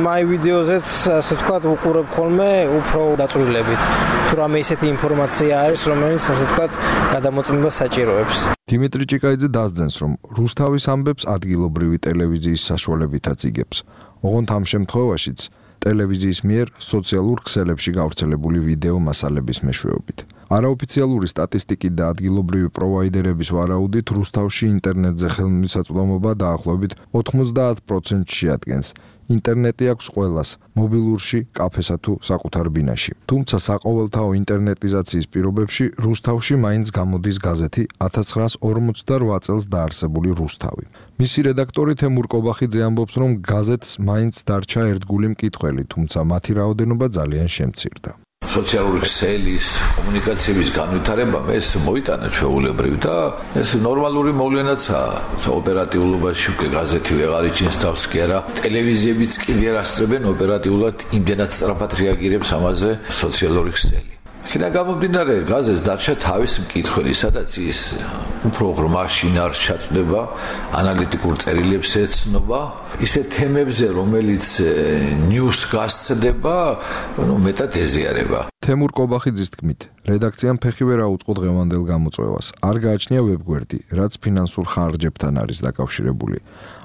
მაი ვიდეოზეც ასე ვთქვათ უყურებ ხოლმე უფრო დაწვრილებით. თუ რამე ისეთი ინფორმაცია არის, რომელიც ასე ვთქვათ გადამოწმება საჭიროებს. დიმიტრი ჭიკაიძე დასძენს, რომ რუსთავის ამბებს ადგილობრივი ტელევიზიის საშუალებითაც იგებს. ოღონდ ამ შემთხვევაშიც ტელევიზიის მიერ სოციალურ ქსელებში გავრცელებული ვიდეო მასალების მეშვეობით. არაოფიციალური სტატისტიკით და ადგილობრივი პროვაიდერების ვარაუდით რუსთავში ინტერნეტზე ხელმისაწვდომობა დაახლოებით 90% შეადგენს. ინტერნეტი აქვს ყველას, მობილურში, კაფესა თუ საკუთარ ბინაში. თუმცა საყოველთაო ინტერნეტიზაციის პირობებში რუსთავში მაინც გამოდის გაზეთი 1948 წელს დაარსებული რუსთავი. მისი რედაქტორი თემურ კობახიძე ამბობს, რომ გაზეთს მაინც დარჩა ერთგული მკითხველი, თუმცა მათი რაოდენობა ძალიან შემცირდა. სოციალური ქსელის, კომუნიკაციების განვითარებამ ეს მოიტანა ჩვეულებრივ და ეს ნორმალური მოვლენაცაა. ოპერატიულობაში უკვე გაზეთი ვეღარ იჩენს თავს კი არა, ტელევიზიებიც კი ვერ ასწრებენ ოპერატიულად იმდენად სწრაფად რეაგირებს ამაზე სოციალური ქსელი. ხინა გამომდინარე გაზეთს დარჩა თავის მკითხველი, სადაც ის უფრო ღრმა შინაარს ჩაწვდება, ანალიტიკურ წერილებს ეცნობა, ისე თემებზე, რომელიც ნიუს გასცდება, მეტად ეზიარება. თემურ კობახიძის თქმით, რედაქციამ ფეხი ვერ აუწყო დღევანდელ გამოწვევას. არ გააჩნია ვებგვერდი, რაც ფინანსურ ხარჯებთან არის დაკავშირებული.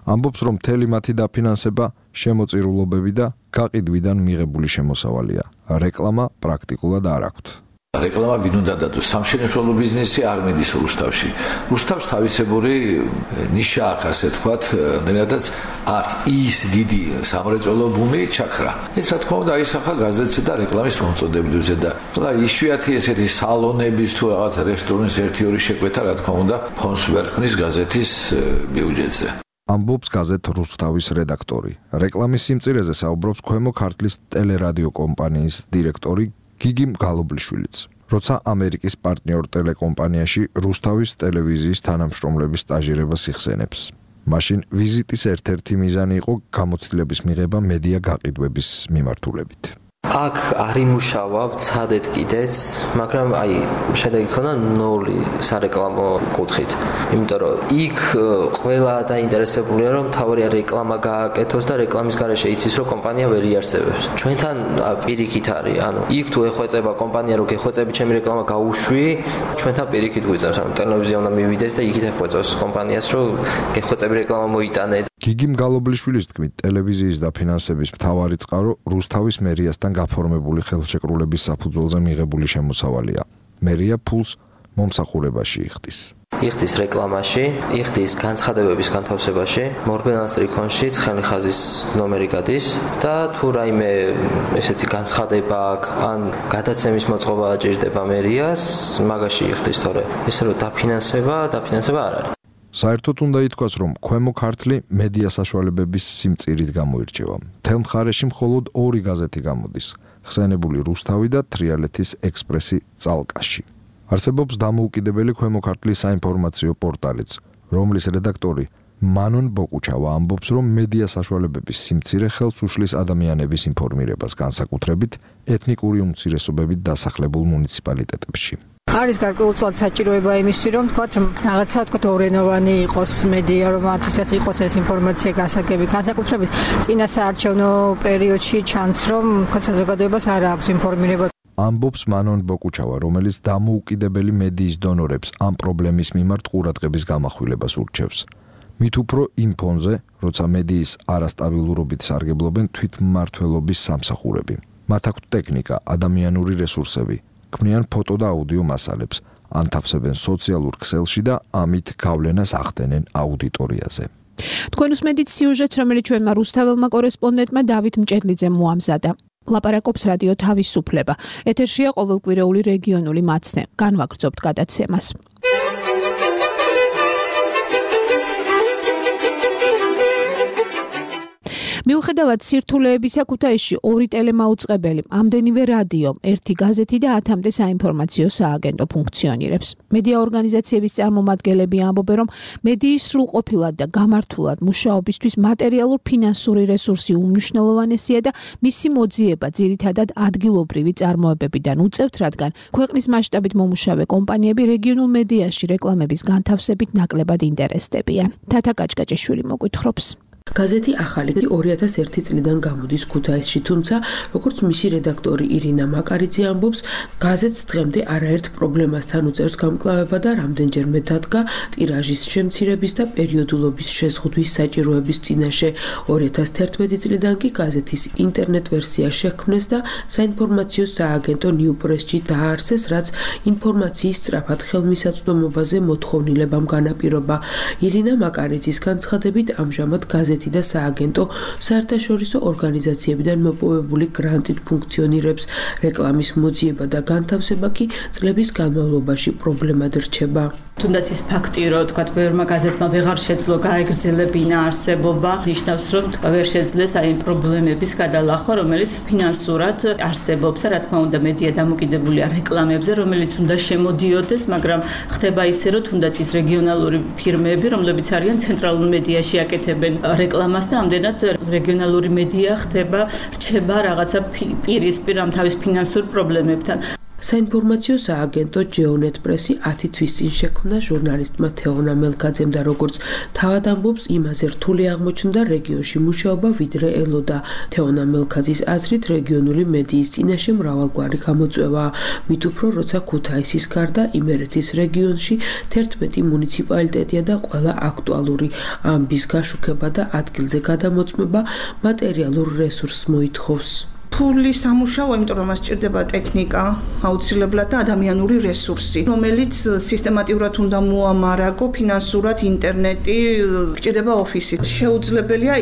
ამბობს, რომ მთელი მათი დაფინანსება შემოწირულობები და გაყიდვიდან მიღებული შემოსავალია. რეკლამა პრაქტიკულად არ აქვთ. რეკლამა ვინ უნდა დადოს? სამშენებლო ბიზნესი არ მიდის რუსთავში. რუსთავს თავისებური ნიშა აქვს, ასე თქვათ, რადგანაც აქ ის დიდი სამრეწველო ბუმი ჩაქრა. ეს რა თქმა უნდა აისახა გაზეთზე და რეკლამის მომწოდებებზე და იშვიათი ესეთი სალონების თუ რაღაც რესტორნის 1-2 შეკვეთა, რა თქმა უნდა, ფონს ვერ ქმნის გაზეთის ბიუჯეტზე. ამბობს გაზეთ რუსთავის რედაქტორი. რეკლამის სიმწირეზე საუბრობს ქვემო ქართლის ტელერადიო კომპანიის დირექტორი გიგიმ გალობლიშვილიც. როცა ამერიკის პარტნიორ ტელეკომპანიაში რუსთავის ტელევიზიის თანამშრომლების სტაჟირებას იხსენებს. მაშინ ვიზიტის ერთ-ერთი მიზანი იყო გამოცდილების მიღება მედია გაყიდვების მიმართულებით. აქ არ იმუშავა, ვცადეთ კიდეც, მაგრამ შედეგი ქონა 0 სარეკლამო კუთხით. იმიტომ რომ იქ ყველა დაინტერესებულია, რომ თავი რეკლამა გააკეთოს და რეკლამის გარეშე იცის, რომ კომპანია ვერ იარსებებს. ჩვენთან პირიქით არის, იქ თუ ეხვეწება კომპანია, რომ გეხვეწები ჩემი რეკლამა გაუშვი, ჩვენთან პირიქით გვიწევს, ტელევიზია უნდა მივიდეს და იქით ეხვეწოს კომპანიას, რომ გეხვეწები რეკლამა მოიტანე. გიგიმ გალობლიშვილის თქმით, ტელევიზიის დაფინანსების მთავარი წყარო რუსთავის მერიასთან გაფორმებული ხელშეკრულების საფუძველზე მიღებული შემოსავალია. მერია ფულს მომსახურებაში იხდის. იხდის რეკლამაში, იხდის განცხადებების განთავსებაში, მორბენალ სტრიქონში ცხელი ხაზის ნომერი გადის და თუ რაიმე ესეთი განცხადება აქვს, ან გადაცემის მოწყობა აჭირდება მერიას, მაგაში იხდის თორე. ესე რომ დაფინანსება არ არის. საერთოდ უნდა ითქვას, რომ ქვემო ქართლი მედია საშუალებების სიმწირით გამოირჩევა. მთელ მხარეში მხოლოდ 2 გაზეთი გამოდის, ხსენებული რუსთავი და თრიალეთის ექსპრესი წალკაში. არსებობს დამოუკიდებელი ქვემო ქართლის საინფორმაციო პორტალიც, რომლის რედაქტორი მანონ ბოკუჩავა ამბობს, რომ მედია საშუალებების სიმწირე ხელს უშლის ადამიანების ინფორმირებას, განსაკუთრებით ეთნიკური უმცირესობებით დასახლებულ მუნიციპალიტეტებში. არის გარკვეულწილად საჭიროება იმისი, რომ თქვათ რაღაცა თქვათ ორენოვანი იყოს მედია, რომ მათთვის იყოს ეს ინფორმაცია გასაგები. განსაკუთრებით წინა საარჩევნო პერიოდში ჩანს, რომ თქვათ საზოგადოებას არ აქვს ინფორმირება. ამბობს მანონ ბოკუჩავა, რომელიც დამოუკიდებელი მედიის დონორებს ამ პრობლემის მიმართ ყურადღების გამახვილებას ურჩევს. მით უფრო იმ ფონზე, როცა მედიის არასტაბილურობით სარგებლობენ თვითმმართველობის სამსახურები. მათ აქვთ ტექნიკა, ადამიანური რესურსები, ქმნიან ფოტო და აუდიო მასალებს, ანთავსებენ სოციალურ ქსელში და ამით გავლენას ახდენენ აუდიტორიაზე. თქვენ უსმენთ სიუჟეტს, რომელიც ჩვენმა რუსთაველმა კორესპონდენტმა დავით მჭედლიძემ მოამზადა. ლაპარაკობს რადიო თავისუფლება. ეთერშია ყოველკვირეული რეგიონული მაცნე. განვაგრძობთ გადაცემას. მიუხედავად სირთულეებისა, ქუთაისში 2 ტელემაუწყებელი, ამდენივე რადიო, 1 გაზეთი და 10-მდე საინფორმაციო სააგენტო ფუნქციონირებს. მედია ორგანიზაციების წარმომადგენლები ამბობენ, რომ მედიის სრულყოფილად და გამართულად მუშაობისთვის მატერიალურ-ფინანსური რესურსი უმნიშვნელოვანესია და მისი მოძიება ძირითადად ადგილობრივი წარმოებებიდან უწევთ, რადგან ქვეყნის მასშტაბით მომუშავე კომპანიები რეგიონულ მედიაში რეკლამების განთავსებით ნაკლებად ინტერესდებიან. თათა კაჭკაჭიშვილი მოგვითხრობს. გაზეთი ახალი 2001 წლიდან გამოდის ქუთაისში, თუმცა როგორც მისი რედაქტორი ირინა მაკარიძე ამბობს, გაზეთს დღემდე არაერთ პრობლემასთან უწევს გამკლავება და რამდენჯერმე დადგა ტირაჟის შემცირების და პერიოდულობის შეზღუდვის საჭიროების წინაშე. 2011 წლიდან კი გაზეთის ინტერნეტ ვერსია შექმნეს და საინფორმაციო სააგენტო ნიუპრესში დააარსეს, რაც ინფორმაციის სწრაფად ხელმისაწვდომობაზე მოთხოვნილებამ განაპირობა. ირინა მაკარიძის განცხადებით, ამჟამად გაზეთი და სააგენტო საერთაშორისო ორგანიზაციებიდან მოპოვებული გრანტით ფუნქციონირებს. რეკლამის მოძიება და განთავსება კი წლების განმავლობაში პრობლემად რჩება. თუნდაც ის ფაქტი, რომ თქვა ბევრმა გაზეთმა ვეღარ შეძლო გაეგრძელებინა არსებობა, ნიშნავს, რომ ვერ შეძლეს აი პრობლემების გადალახვა, რომელიც ფინანსურად არსებობს და რა თქმა უნდა მედია დამოკიდებულია რეკლამებზე, რომელიც უნდა შემოდიოდეს, მაგრამ ხდება ისე, რომ თუნდაც ის რეგიონალური ფირმები, რომლებიც არიან ცენტრალურ მედიაში აკეთებენ რეკლამას და ამდენად რეგიონალური მედია ხდება რჩება რაღაცა პირისპირ ამ თავის ფინანსურ პრობლემებთან. საინფორმაციო სააგენტო GeoNet Press 10 თვის წინ შექმნა ჟურნალისტმა თეონა მელქაძემ და როგორც თავად ამბობს, იმაზე რთული აღმოჩნდა რეგიონში მუშაობა ვიდრე ელოდა. თეონა მელქაძის აზრით რეგიონული მედიის წინაშე მრავალგვარი გამოწვევაა, მით უფრო როცა ქუთაისის გარდა იმერეთის რეგიონში 11 მუნიციპალიტეტია და ყველა აქტუალური ამბის გაშუქება და ადგილზე გადამოწმება მატერიალურ რესურსს მოითხოვს. ფული სამუშაო, იმიტომ რომ მას სჭირდება ტექნიკა, აუცილებლად და ადამიანური რესურსი, რომელიც სისტემატურად უნდა მოამარაგო, ფინანსურად, ინტერნეტი, სჭირდება ოფისი. შეუძლებელია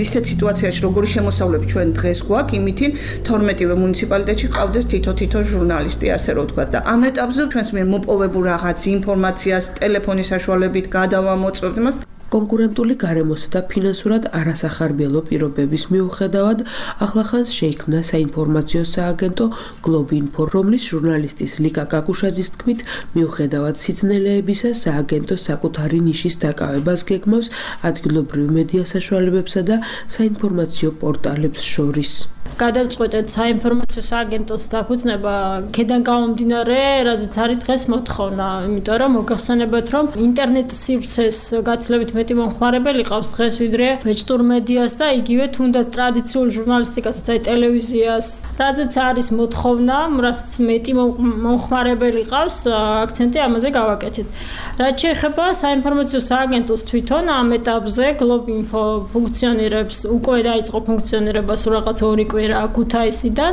ისეთ სიტუაციაში, როგორი შემოსავლები ჩვენ დღეს გვაქვს, იმითი 12-ვე მუნიციპალიტეტში ყავდეს თითო ჟურნალისტი, ასე რომ ვთქვა და ამ ეტაპზე ჩვენს მიერ მოპოვებულ რაღაც ინფორმაციას ტელეფონის საშუალებით გადავამოწმებთ მას. კონკურენტული გარემოსა და ფინანსურად არასახარბიელო პირობების მიუხედავად ახლახანს შეიქმნა საინფორმაციო სააგენტო Globinfo, რომლის ჟურნალისტის ლიკა კაკუშაძის თქმით, მიუხედავად სიძნელეებისა, სააგენტო საკუთარი ნიშის დაკავებას გეგმავს ადგილობრივ მედია საშუალებებსა და საინფორმაციო პორტალებს შორის. გადავწყვეტეთ საინფორმაციო სააგენტოს დაფუძნება ქედან გამომდინარე, რაზეც არის დღეს მოთხოვნა, იმიტომ რომ მოგახსენებათ, რომ ინტერნეტ სივრცეს გაცილებით მეტი მომხმარებელი ყავს დღეს ვიდრე ვეჭტურ მედიას და იგივე თუნდაც ტრადიციულ ჟურნალისტიკასაც, აი ტელევიზიას, რაზეც არის მოთხოვნა, რასაც მეტი მომხმარებელი ყავს, აქცენტი ამაზე გავაკეთეთ. რაც შეეხება საინფორმაციო სააგენტოს თვითონ ამ ეტაპზე Globinfo ფუნქციონირებს, უკვე დაიწყო ფუნქციონირება სულ რაღაც 2 კვირა ქუთაისიდან,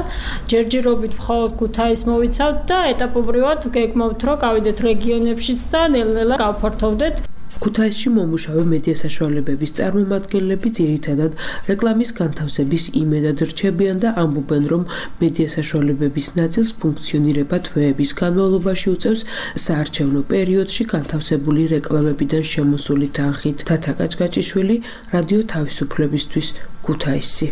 ჯერჯერობით მხოლოდ ქუთაის მოვიცავთ და ეტაპობრივად გეგმავთ, რომ გავიდეთ რეგიონებშიც და ნელ-ნელა გავფართოვდეთ. ქუთაისში მომუშავე მედია საშუალებების წარმომადგენლები ძირითადად რეკლამის განთავსების იმედად რჩებიან და ამბობენ, რომ მედია საშუალებების ნაწილს ფუნქციონირება თვეების განმავლობაში უწევს საარჩევნო პერიოდში განთავსებული რეკლამებიდან შემოსული თანხით. თათა კაჭკაჭიშვილი, რადიო თავისუფლებისთვის, ქუთაისი.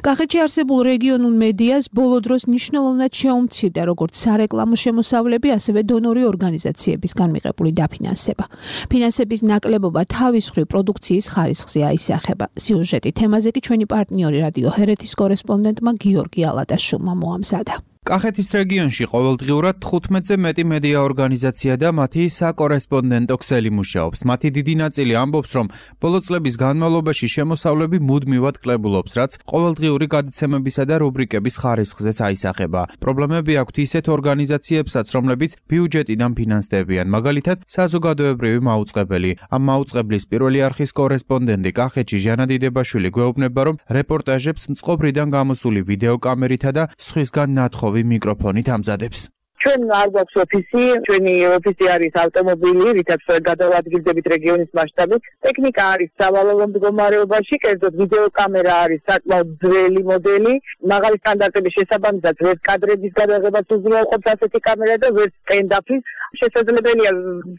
კახეთში არსებულ რეგიონულ მედიას ბოლო დროს მნიშვნელოვნად შეუმცირდა როგორც სარეკლამო შემოსავლები, ასევე დონორი ორგანიზაციებისგან მიღებული დაფინანსება. ფინანსების ნაკლებობა თავის მხრივ პროდუქციის ხარისხზე აისახება. სიუჟეტი თემაზე კი ჩვენი პარტნიორი რადიო ჰერეთის კორესპონდენტმა გიორგი ალადაშვილმა მოამზადა. კახეთის რეგიონში ყოველდღიურად 15-ზე მეტი მედია ორგანიზაცია და მათი საკორესპონდენტო ქსელი მუშაობს. მათი დიდი ნაწილი ამბობს, რომ ბოლო წლების განმავლობაში შემოსავლები მუდმივად კლებულობს, რაც ყოველდღიური გადაცემებისა და რუბრიკების ხარისხზეც აისახება. პრობლემები აქვთ ისეთ ორგანიზაციებსაც, რომლებიც ბიუჯეტიდან ფინანსდებიან, მაგალითად, საზოგადოებრივი მაუწყებელი. ამ მაუწყებლის პირველი არხის კორესპონდენტი კახეთში ჟანა დიდებაშვილი გვეუბნება, რომ რეპორტაჟებს მწყობრიდან გამოსული ვიდეოკამერითა და სხვისგან ნათხოვ მიკროფონით ამზადებს. ჩვენ არ გვაქვს ოფისი, ჩვენი ოფისი არის ავტომობილი, რითაც გადავადგილდებით რეგიონის მასშტაბით. ტექნიკა არის სავალალო მდგომარეობაში, კერძოდ ვიდეოკამერა არის საკმაოდ ძველი მოდელი, მაღალი სტანდარტების შესაბამისად ვერც კადრების გადაღებას უზრუნველყოფს ასეთი კამერა და ვერც სტენდაფის. შესაძლებელია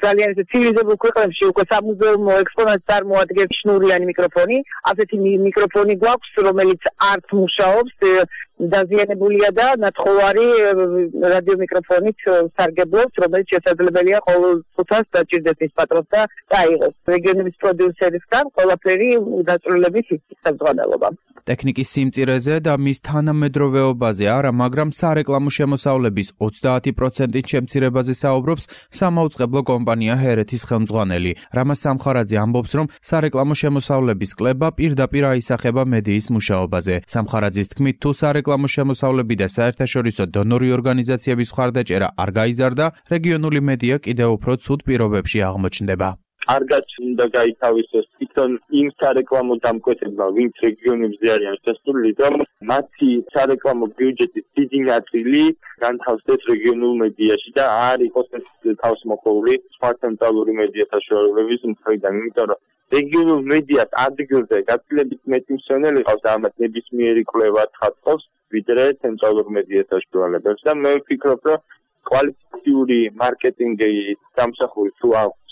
ძალიან ცივილიზებულ ქვეყნებში უკვე სამუზეუმო ექსპონატს წარმოადგენს შნურიანი მიკროფონი. ასეთი მიკროფონი გვაქვს, რომელიც არც მუშაობს, დაზიანებულია და ნათხოვარი რადიო მიკროფონით სარგებლობს, რომელიც შესაძლებელია ყოველ წუთას დაჭირდეს მის პატრონს და დაიღოს. რეგიონების პროდიუსერისგან ყველაფერი დაწვრილებით იქნება საზღვარგარეთობა. ტექნიკის სიმწირეზე და მის თანამედროვეობაზე არა, მაგრამ სარეკლამო შემოსავლების 30%-ით შემცირებაზე საუბრობს სამაუწყებლო კომპანია ჰერეთის ხელმძღვანელი. რამაზ სამხარაძე ამბობს, რომ სარეკლამო შემოსავლების კლება პირდაპირ აისახება მედიის მუშაობაზე. სამხარაძის თქმით, თუ სარეკლამო შემოსავლები და საერთაშორისო დონორი ორგანიზაციების მხარდაჭერა არ გაიზარდა, რეგიონული მედია კიდევ უფრო ცუდ პირობებში აღმოჩნდება. კარგად უნდა გაითავისოს თვითონ იმ სარეკლამო დამკვეთებმა, ვინც რეგიონებზე არიან შესული, რომ მათი სარეკლამო ბიუჯეტის დიდი ნაწილი განთავსდეს რეგიონულ მედიაში და არ იყოს ეს თავისმოყოლი სხვა ცენტრალური მედია საშუალებების მხრიდან, იმიტომ რომ რეგიონულ მედიას ადგილზე გაცილებით მეტი მსვენელი ყავს და ამათ ნებისმიერი კვლევა თხატავს, ვიდრე ცენტრალურ მედია საშუალებებს და მე ვფიქრობ, რომ კვალიფიციური მარკეტინგი სამსახური თუ აქვს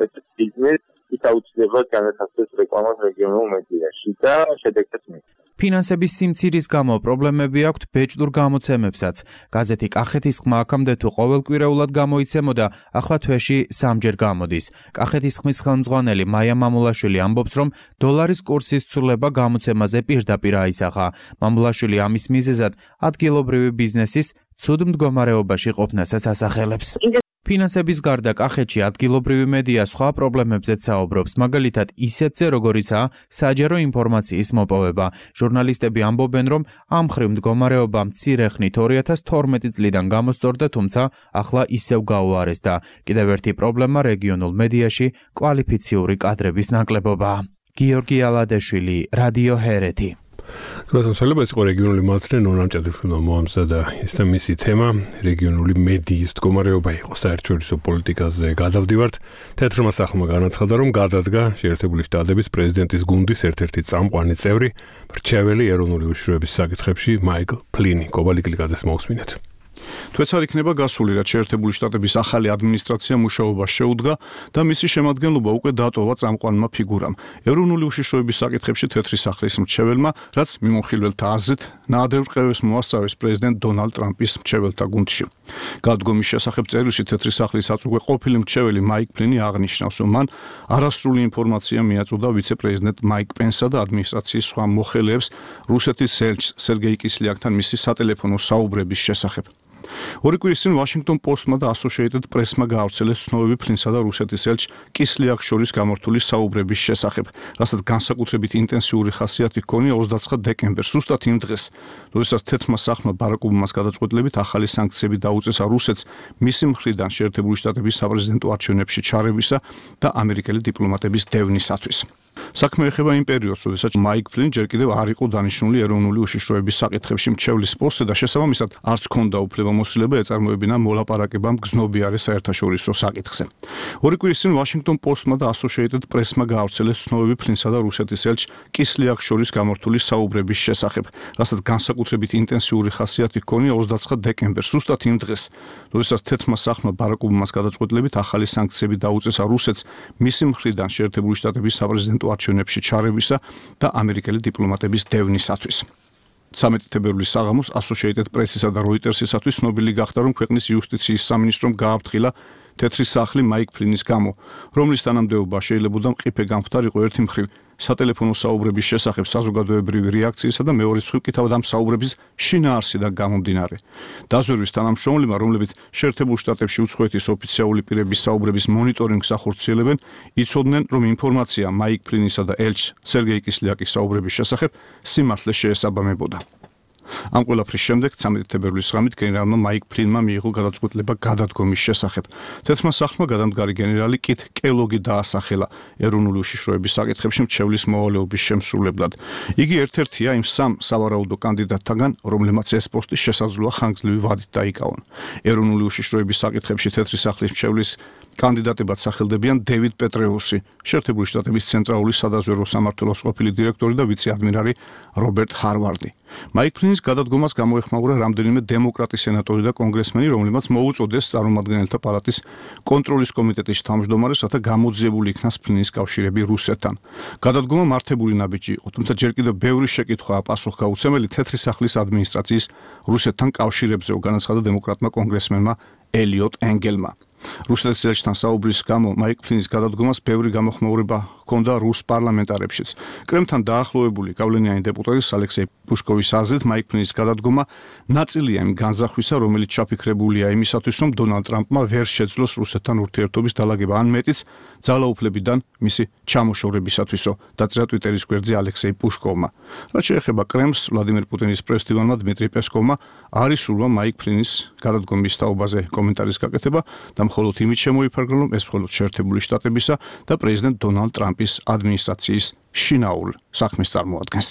ეს ბიზნესი ის აუცილებლად განათავსეს რეკლამას რეგიონულ მედიაში და შედეგებს მიიღოს. ფინანსების სიმცირის გამო პრობლემები აქვთ ბეჭდურ გამოცემებსაც. გაზეთი კახეთის ხმა აქამდე თუ ყოველკვირეულად გამოიცემოდა, ახლა თვეში 3-ჯერ გამოდის. კახეთის ხმის ხელმძღვანელი მაია მამულაშვილი ამბობს, რომ დოლარის კურსის ცვლილება გამოცემაზე პირდაპირ აისახა. მამულაშვილი ამის მიზეზად ადგილობრივი ბიზნესის ცუდ მდგომარეობაში ყოფნასაც ასახელებს. ფინანსების გარდა კახეთში ადგილობრივი მედია სხვა პრობლემებზეც საუბრობს, მაგალითად ისეთზე, როგორიცაა საჯარო ინფორმაციის მოპოვება. ჟურნალისტები ამბობენ, რომ ამ მხრივ მდგომარეობა მცირე ხნით 2012 წლიდან გამოსწორდა, თუმცა ახლა ისევ გაუარესდა. კიდევ ერთი პრობლემა რეგიონულ მედიაში კვალიფიციური კადრების ნაკლებობაა. გიორგი ალადეშვილი, რადიო ჰერეთი. გასაცვლელება იყო რეგიონული მაცლე ნონა ჭადაშვილმა მოამზადა ეს და მისი თემა რეგიონული მედიის მდგომარეობა იყო საერთაშორისო პოლიტიკაზე გადავდივართ თეთრმა სახლმა განაცხადა რომ გადადგა შეერთებული შტატების პრეზიდენტის გუნდის ერთ-ერთი წამყვანი წევრი მრჩეველი ეროვნული უშიშროების საკითხებში მაიკლ ფლინი კობალიკლიაძეს მოусმინეთ თვეც არ იქნება გასული, რაც შეერთებული შტატების ახალი ადმინისტრაცია მუშაობას შეუდგა და მისი შემადგენლობა უკვე დატოვა წამყვანმა ფიგურამ. ეროვნული უშიშროების საკითხებში თეთრი სახლის მრჩეველმა, რაც მიმოხილველთა აზრით ნაადრევ რყევებს მოასწავეს პრეზიდენტ დონალდ ტრამპის მრჩეველთა გუნდში. გადადგომის შესახებ წერილში თეთრი სახლის აწუხე ყოფილი მრჩეველი მაიკ ფლინი აღნიშნავს, რომ მან არასრული ინფორმაცია მიაწოდა ვიცე-პრეზიდენტ მაიკ პენსსა და ადმინისტრაციის სხვა მოხელეებს რუსეთის ელჩს სერგეი კისლიაკთან მისი სატელეფონო საუბრების შესახებ. ორი კვირის წინ Washington Post-მა და Associated Press-მა გაავრცელეს ცნობები ფლინსა და რუსეთის ელჩ კისლიაკს შორის გამართული საუბრების შესახებ, რასაც განსაკუთრებით ინტენსიური ხასიათი ჰქონია 29 დეკემბერს, ზუსტად იმ დღეს, როდესაც თეთრმა სახლმა ბარაკ ობამას გადაწყვეტილებით ახალი სანქციები დაუწესა რუსეთს მისი მხრიდან შეერთებული შტატების საპრეზიდენტო არჩევნებში ჩარევისა და ამერიკელი დიპლომატების დევნისათვის. საქმე ეხება იმ პერიოდს, როდესაც მაიკ ფლინი ჯერ კიდევ არ იყო დანიშნული ეროვნული უშიშროების საკითხებში მრჩევლის პოსტზე და შესაბამისად არც ჰქონდა უფლებამოსილება ეწარმოებინა მოლაპარაკება მგზნობიარე საერთაშორისო საკითხზე. ორი კვირის წინ Washington Post-მა და Associated Press-მა გაავრცელეს ცნობები ფლინსა და რუსეთის ელჩ კისლიაკს შორის გამართული საუბრების შესახებ, რასაც განსაკუთრებით ინტენსიური ხასიათი ჰქონია 29 დეკემბერს, ზუსტად იმ დღეს, როდესაც თეთრმა სახლმა ბარაკ ობამას გადაწყვეტილებით ახალი სანქციები დაუწესა რუსეთს მისი მხრიდან შეერთებული შტატების საპრეზიდენტო არჩევნებში ჩარევისა და ამერიკელი დიპლომატების დევნისათვის. 13 თებერვლის საღამოს Associated Press-ისა და Reuters-ისათვის ცნობილი გახდა, რომ ქვეყნის იუსტიციის სამინისტრომ გააფრთხილა თეთრი სახლი მაიკ ფლინის გამო, რომლის თანამდებობა შეიძლებოდა მყიფე გამხდარიყო ერთი მხრივ სატელეფონო საუბრების შესახებ საზოგადოებრივი რეაქციისა და მეორე მხრივ კი თავად ამ საუბრების შინაარსიდან გამომდინარე. დაზვერვის თანამშრომლებმა, რომლებიც შეერთებულ შტატებში უცხოეთის ოფიციალური პირების საუბრების მონიტორინგს ახორციელებენ, იცოდნენ, რომ ინფორმაცია მაიკ ფლინისა და ელჩ სერგეი კისლიაკის საუბრების შესახებ სიმართლე შეესაბამებოდა. ამ ყველაფრის შემდეგ 13 თებერვლის ღამით გენერალმა მაიკ ფლინმა მიიღო გადაწყვეტილება გადადგომის შესახებ. თეთრმა სახლმა გადამდგარი გენერალი კით კელოგი დაასახელა ეროვნული უშიშროების საკითხებში მრჩევლის მოვალეობის შემსრულებლად. იგი ერთ-ერთია იმ სამ სავარაუდო კანდიდატთაგან, რომლებმაც ეს პოსტი შესაძლოა ხანგრძლივი ვადით დაიკავონ. ეროვნული უშიშროების საკითხებში თეთრი სახლის მრჩევლის კანდიდატებად სახელდებიან დევიდ პეტრეუსი, შეერთებული შტატების ცენტრალური სადაზვერვო სამმართველოს ყოფილი დირექტორი და ვიცე-ადმირალი რობერტ ჰარვარდი. მაიკ ფლინის გადადგომას გამოეხმაურა რამდენიმე დემოკრატი სენატორი და კონგრესმენი, რომლებმაც მოუწოდეს წარმომადგენელთა პალატის კონტროლის კომიტეტის თავმჯდომარეს, რათა გამოძიებული იქნას ფლინის კავშირები რუსეთთან. გადადგომა მართებული ნაბიჯი იყო, თუმცა ჯერ კიდევ ბევრი შეკითხვაა პასუხგაუცემელი თეთრი სახლის ადმინისტრაციის რუსეთთან კავშირებზე, განაცხადა დემოკრატმა კონგრესმენმა ელიოტ ენგელმა. რუსეთის ელჩთან საუბრის გამო მაიკ ფლინის გადადგომას ბევრი გამოხმაურება ჰქონდა რუს პარლამენტარებშიც. კრემლთან დაახლოებული გავლენიანი დეპუტატის ალექსეი პუშკოვის აზრით მაიკ ფლინის გადადგომა ნაწილია იმ განზახვისა, რომელიც ჩაფიქრებულია იმისათვის, რომ დონალდ ტრამპმა ვერ შეძლოს რუსეთთან ურთიერთობის დალაგება, ან მეტიც ძალაუფლებიდან მისი ჩამოშორებისათვისო, დაწერა ტვიტერის გვერდზე ალექსეი პუშკოვმა. რაც შეეხება კრემლს, ვლადიმერ პუტინის პრეს-დივანმა დმიტრი პესკოვმა არ ისურვა მაიკ ფლინის გადადგომის თაობაზე კომენტარის გაკეთება და მხოლოდ იმით შემოიფარგლა, რომ ეს მხოლოდ შეერთებული შტატებისა და პრეზიდენტ დონალდ ტრამპის ადმინისტრაციის შინაურ საქმეს წარმოადგენს.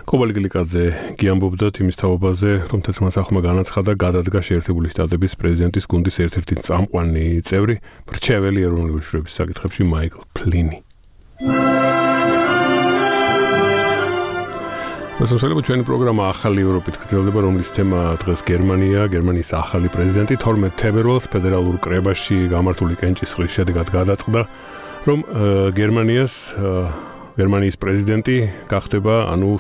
კობალიკლიაძე გიამბობდა იმის თაობაზე, რომ თეთრმა სახლმა განაცხადა გადადგა შეერთებული შტატების პრეზიდენტის გუნდის ერთ-ერთი წამყვანი წევრი, მრჩეველი ეროვნული უშიშროების საკითხებში მაიკლ ფლინი. მოსულები ჩვენი პროგრამა ახალი ევროპით გრძელდება, რომლის თემა დღეს გერმანია, გერმანიის ახალი პრეზიდენტი 12 თებერვალს ფედერალურ კრებაში გამართული კენჭისყრის შედეგად გადაწყდა, რომ გერმანიის პრეზიდენტი გახდება,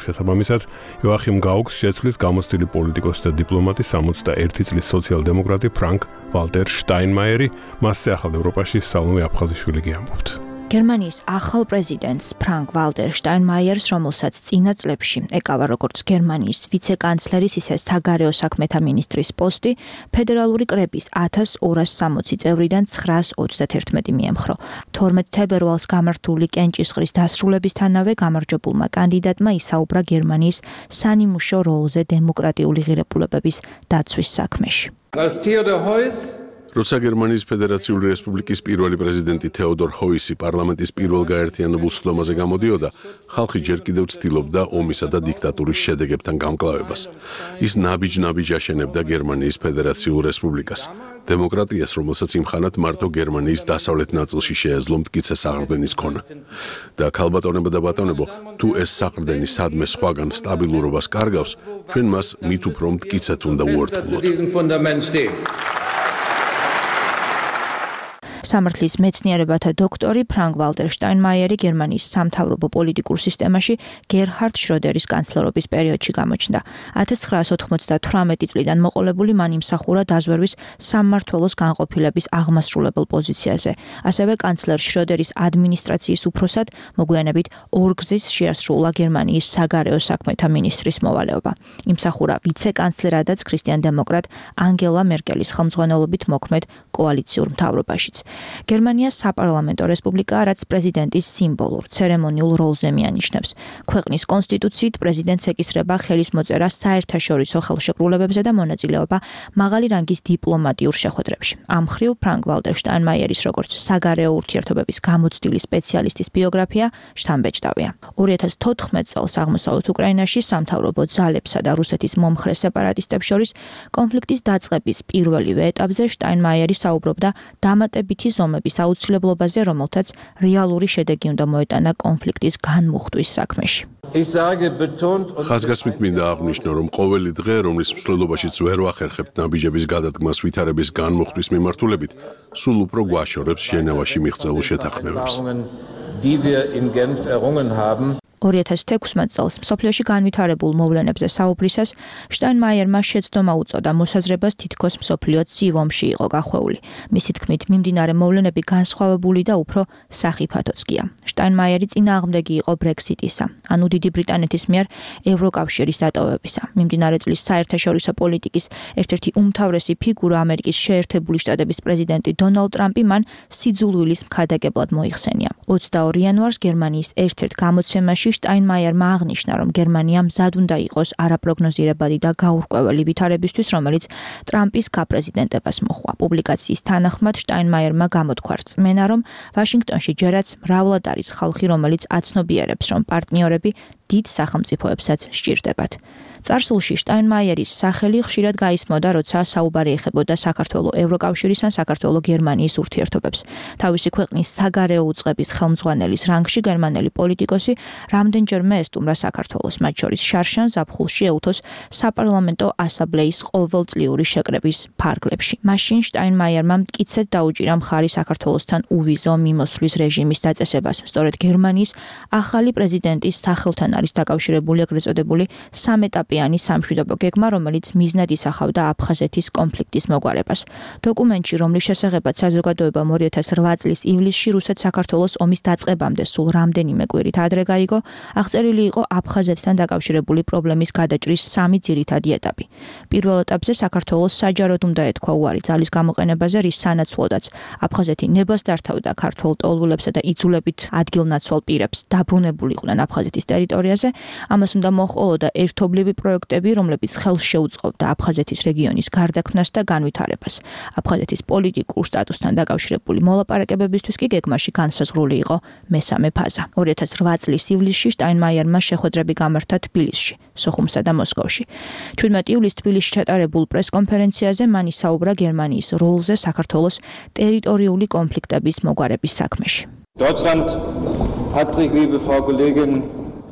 შესაბამისად, იოახიმ გაუქს შეცვლის გამოცდილი პოლიტიკოსი და დიპლომატი 61 წლის სოციალ-დემოკრატი ფრანკ ვალტერ შტაინმაიერი, მასზე ახალ ევროპაში სალომე აფხაზიშვილი გიამბობთ. გერმანიის ახალ პრეზიდენტს ფრანკ ვალტერ შტაინმაიერს, რომელსაც წინა წლებში ეკავა როგორც გერმანიის ვიცე-კანცლერის, ისე საგარეო საქმეთა მინისტრის პოსტი, ფედერალური კრების 1260 წევრიდან 931 მიემხრო. 12 თებერვალს გამართული კენჭისყრის დასრულებისთანავე გამარჯვებულმა კანდიდატმა ისაუბრა გერმანიის სანიმუშო როლზე დემოკრატიული ღირებულებების დაცვის საქმეში. როცა გერმანიის ფედერაციული რესპუბლიკის პირველი პრეზიდენტი თეოდორ ჰოისი პარლამენტის პირველ გაერთიანებულ სხდომაზე გამოდიოდა, ხალხი ჯერ კიდევ ცდილობდა ომისა და დიქტატურის შედეგებთან გამკლავებას. ის ნაბიჯ-ნაბიჯ აშენებდა გერმანიის ფედერაციულ რესპუბლიკას. დემოკრატიას, რომელსაც იმხანად მარტო გერმანიის დასავლეთ ნაწილში შეეძლო მტკიცე საყრდენის ქონა. და ქალბატონებო და ბატონებო, თუ ეს საყრდენი სადმე სხვაგან სტაბილურობას კარგავს, ჩვენ მას მით უფრო მტკიცედ უნდა უერთგულოთ. სამართლის მეცნიერებათა დოქტორი ფრანკ ვალტერ შტაინმაიერი გერმანიის სამთავრობო პოლიტიკურ სისტემაში გერჰარდ შროდერის კანცლერობის პერიოდში გამოჩნდა. 1998 წლიდან მოყოლებული მან იმსახურა დაზვერვის სამმართველოს განყოფილების აღმასრულებელ პოზიციაზე. ასევე კანცლერ შროდერის ადმინისტრაციის უფროსად მოგვიანებით ორგზის შეასრულა გერმანიის საგარეო საქმეთა მინისტრის მოვალეობა. იმსახურა ვიცე-კანცლერადაც ქრისტიან-დემოკრატ ანგელა მერკელის ხელმძღვანელობით მოქმედ კოალიციურ მთავრობაშიც. გერმანია საპარლამენტო რესპუბლიკაა, რაც პრეზიდენტის სიმბოლურ, ცერემონიულ როლზე მიანიშნებს. ქვეყნის კონსტიტუციით პრეზიდენტს ეკისრება ხელის მოწერა საერთაშორისო ხელშეკრულებებზე და მონაწილეობა მაღალი რანგის დიპლომატიურ შეხვედრებში. ამ მხრივ ფრანკ ვალტერ შტაინმაიერის როგორც საგარეო ურთიერთობების გამოცდილი სპეციალისტის ბიოგრაფია შთამბეჭდავია. 2014 წელს აღმოსავლეთ უკრაინაში სამთავრობო ძალებსა და რუსეთის მომხრე სეპარატისტებს შორის კონფლიქტის დაწყების პირველივე ეტაპზე შტაინმაიერი საუბრობდა დამატებითი ზომების აუცილებლობაზე, რომელთაც რეალური შედეგი უნდა მოეტანა კონფლიქტის განმუხტვის საქმეში. ხაზგასმით მინდა აღვნიშნო, რომ ყოველი დღე, რომლის მსვლელობაშიც ვერ ვახერხებთ ნაბიჯების გადადგმას ვითარების განმუხტვის მიმართულებით, სულ უფრო გვაშორებს ჟენევაში მიღწეულ შეთანხმებებს. 2016 წელს მსოფლიოში განვითარებულ მოვლენებზე საუბრისას შტაინმაიერმა შეცდომა უწოდა მოსაზრებას თითქოს მსოფლიო ცივ-ომში იყო გახვეული. მისი თქმით, მიმდინარე მოვლენები განსხვავებული და უფრო სახიფათოც გია. შტაინმაიერი წინააღმდეგი იყო ბრექსიტისა, ანუ დიდი ბრიტანეთის მიერ ევროკავშირის დატოვებისა. მიმდინარე წლის საერთაშორისო პოლიტიკის ერთ-ერთი უმთავრესი ფიგურა ამერიკის შეერთებული შტატების პრეზიდენტი დონალდ ტრამპი მან სიძულვილის მქადაგებლად მოიხსენია. 22 იანვარს გერმანიის ერთ-ერთ გამოცემაში შტაინმაიერმა აღნიშნა, რომ გერმანია მზად უნდა იყოს არაპროგნოზირებადი და გაურკვეველი ვითარებისთვის, რომელიც ტრამპის გაპრეზიდენტებას მოჰყვა. პუბლიკაციის თანახმად შტაინმაიერმა გამოთქვა რწმენა, რომ ვაშინგტონში ჯერაც მრავლად არის ხალხი, რომელიც აცნობიერებს, რომ პარტნიორები დიდ სახელმწიფოებსაც სჭირდებათ. წარსულში შტაინმაიერის სახელი ხშირად გაისმოდა, როცა საუბარი ეხებოდა საქართველოს ევროკავშირის ან საქართველოს გერმანიის ურთიერთობებს. თავისი ქვეყნის საგარეო უწყების ხელმძღვანელის რანგში გერმანელი პოლიტიკოსი რამდენჯერმე ესტუმრა საქართველოს, მათ შორის შარშან ზაფხულში ეუთოს საპარლამენტო ასამბლეის ყოველწლიური შეკრების ფარგლებში. მაშინ შტაინმაიერმა მტკიცედ დაუჭირა მხარი საქართველოსთან უვიზო მიმოსვლის რეჟიმის დაწესებას. სწორედ გერმანიის ახალი პრეზიდენტის სახელთან არის დაკავშირებული ეგრეთ წოდებული სამეტაპიანი სამშვიდობო გეგმა, რომელიც მიზნად ისახავდა აფხაზეთის კონფლიქტის მოგვარებას. დოკუმენტში, რომლის შესახებაც საზოგადოებამ 2008 წლის ივლისში რუსეთ-საქართველოს ომის დაწყებამდე სულ რამდენიმე კვირით ადრე გაიგო, აღწერილი იყო აფხაზეთთან დაკავშირებული პრობლემის გადაჭრის 3 ძირითადი ეტაპი. პირველ ეტაპზე საქართველოს საჯაროდ უნდა ეთქვა უარი ძალის გამოყენებაზე, რის სანაცვლოდაც აფხაზეთი ნებას დართავდა ქართულ ტოლვილებსა და იძულებით ადგილნაცვალ პირებს დაბრუნებულიყვნენ აფხაზეთის ტერიტორიაზე. ამას უნდა მოჰყოლოდა ერთობლივი პროექტები, რომლებიც ხელს შეუწყობდა აფხაზეთის რეგიონის გარდაქმნას და განვითარებას. აფხაზეთის პოლიტიკურ სტატუსთან დაკავშირებული მოლაპარაკებებისთვის კი გეგმაში განსაზღვრული იყო მესამე ფაზა. 2008 წლის ივლისში შტაინმაიერმა შეხვედრები გამართა თბილისში, სოხუმსა და მოსკოვში. 17 ივლისს თბილისში ჩატარებულ პრესკონფერენციაზე მან ისაუბრა გერმანიის როლზე საქართველოს ტერიტორიული კონფლიქტების მოგვარების საქმეში. Deutschland hat sich, liebe Frau Kollegin,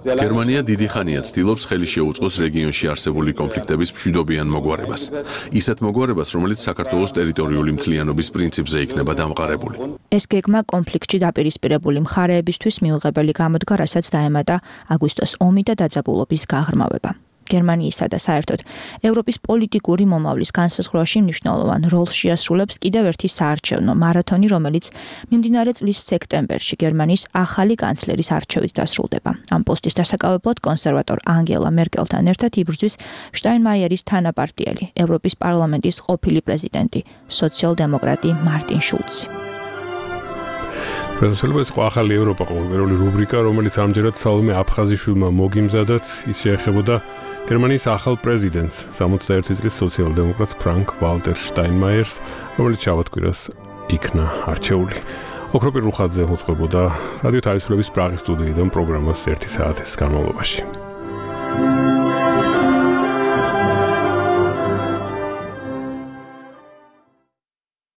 გერმანია დიდი ხანია ცდილობს ხელი შეუწყოს რეგიონში არსებული კონფლიქტების მშვიდობიან მოგვარებას. ისეთ მოგვარებას, რომელიც საქართველოს ტერიტორიული მთლიანობის პრინციპზე იქნება დამყარებული. ეს გეგმა კონფლიქტში დაპირისპირებული მხარეებისთვის მიუღებელი გამოდგა, რასაც დაემატა აგვისტოს ომი და დაძაბულობის გაღრმავება. გერმანიისა და საერთოდ ევროპის პოლიტიკური მომავლის განსაზღვრავაში მნიშვნელოვან როლს შეასრულებს კიდევ ერთი საარჩევნო მარათონი, რომელიც მიმდინარე წლის სექტემბერში გერმანიის ახალი კანცლერის არჩევით დასრულდება. ამ პოსტის დასაკავებლად კონსერვატორ ანგელა მერკელთან ერთად იბრძვის შტაინმაიერის თანაპარტიელი, ევროპის პარლამენტის ყოფილი პრეზიდენტი, სოციალ-დემოკრატი მარტინ შულცი. პრეზიდენტის ახალი ევროპა ყოველგვარული რუბრიკა, რომელიც ამჯერად სალომე აფხაზიშვილმა მოგიმზადათ, ის შეეხებოდა გერმანიის ახალ პრეზიდენტს, 61 წლის სოციალ-დემოკრატს ფრანკ ვალტერ შტაინმაიერს, რომელიც შაბათ-კვირას იქნა არჩეული. ოქროპირ რუხაძე მოწყობოდა რადიო თავისუფლების პრაღის სტუდიიდან პროგრამას 1 საათის განმავლობაში.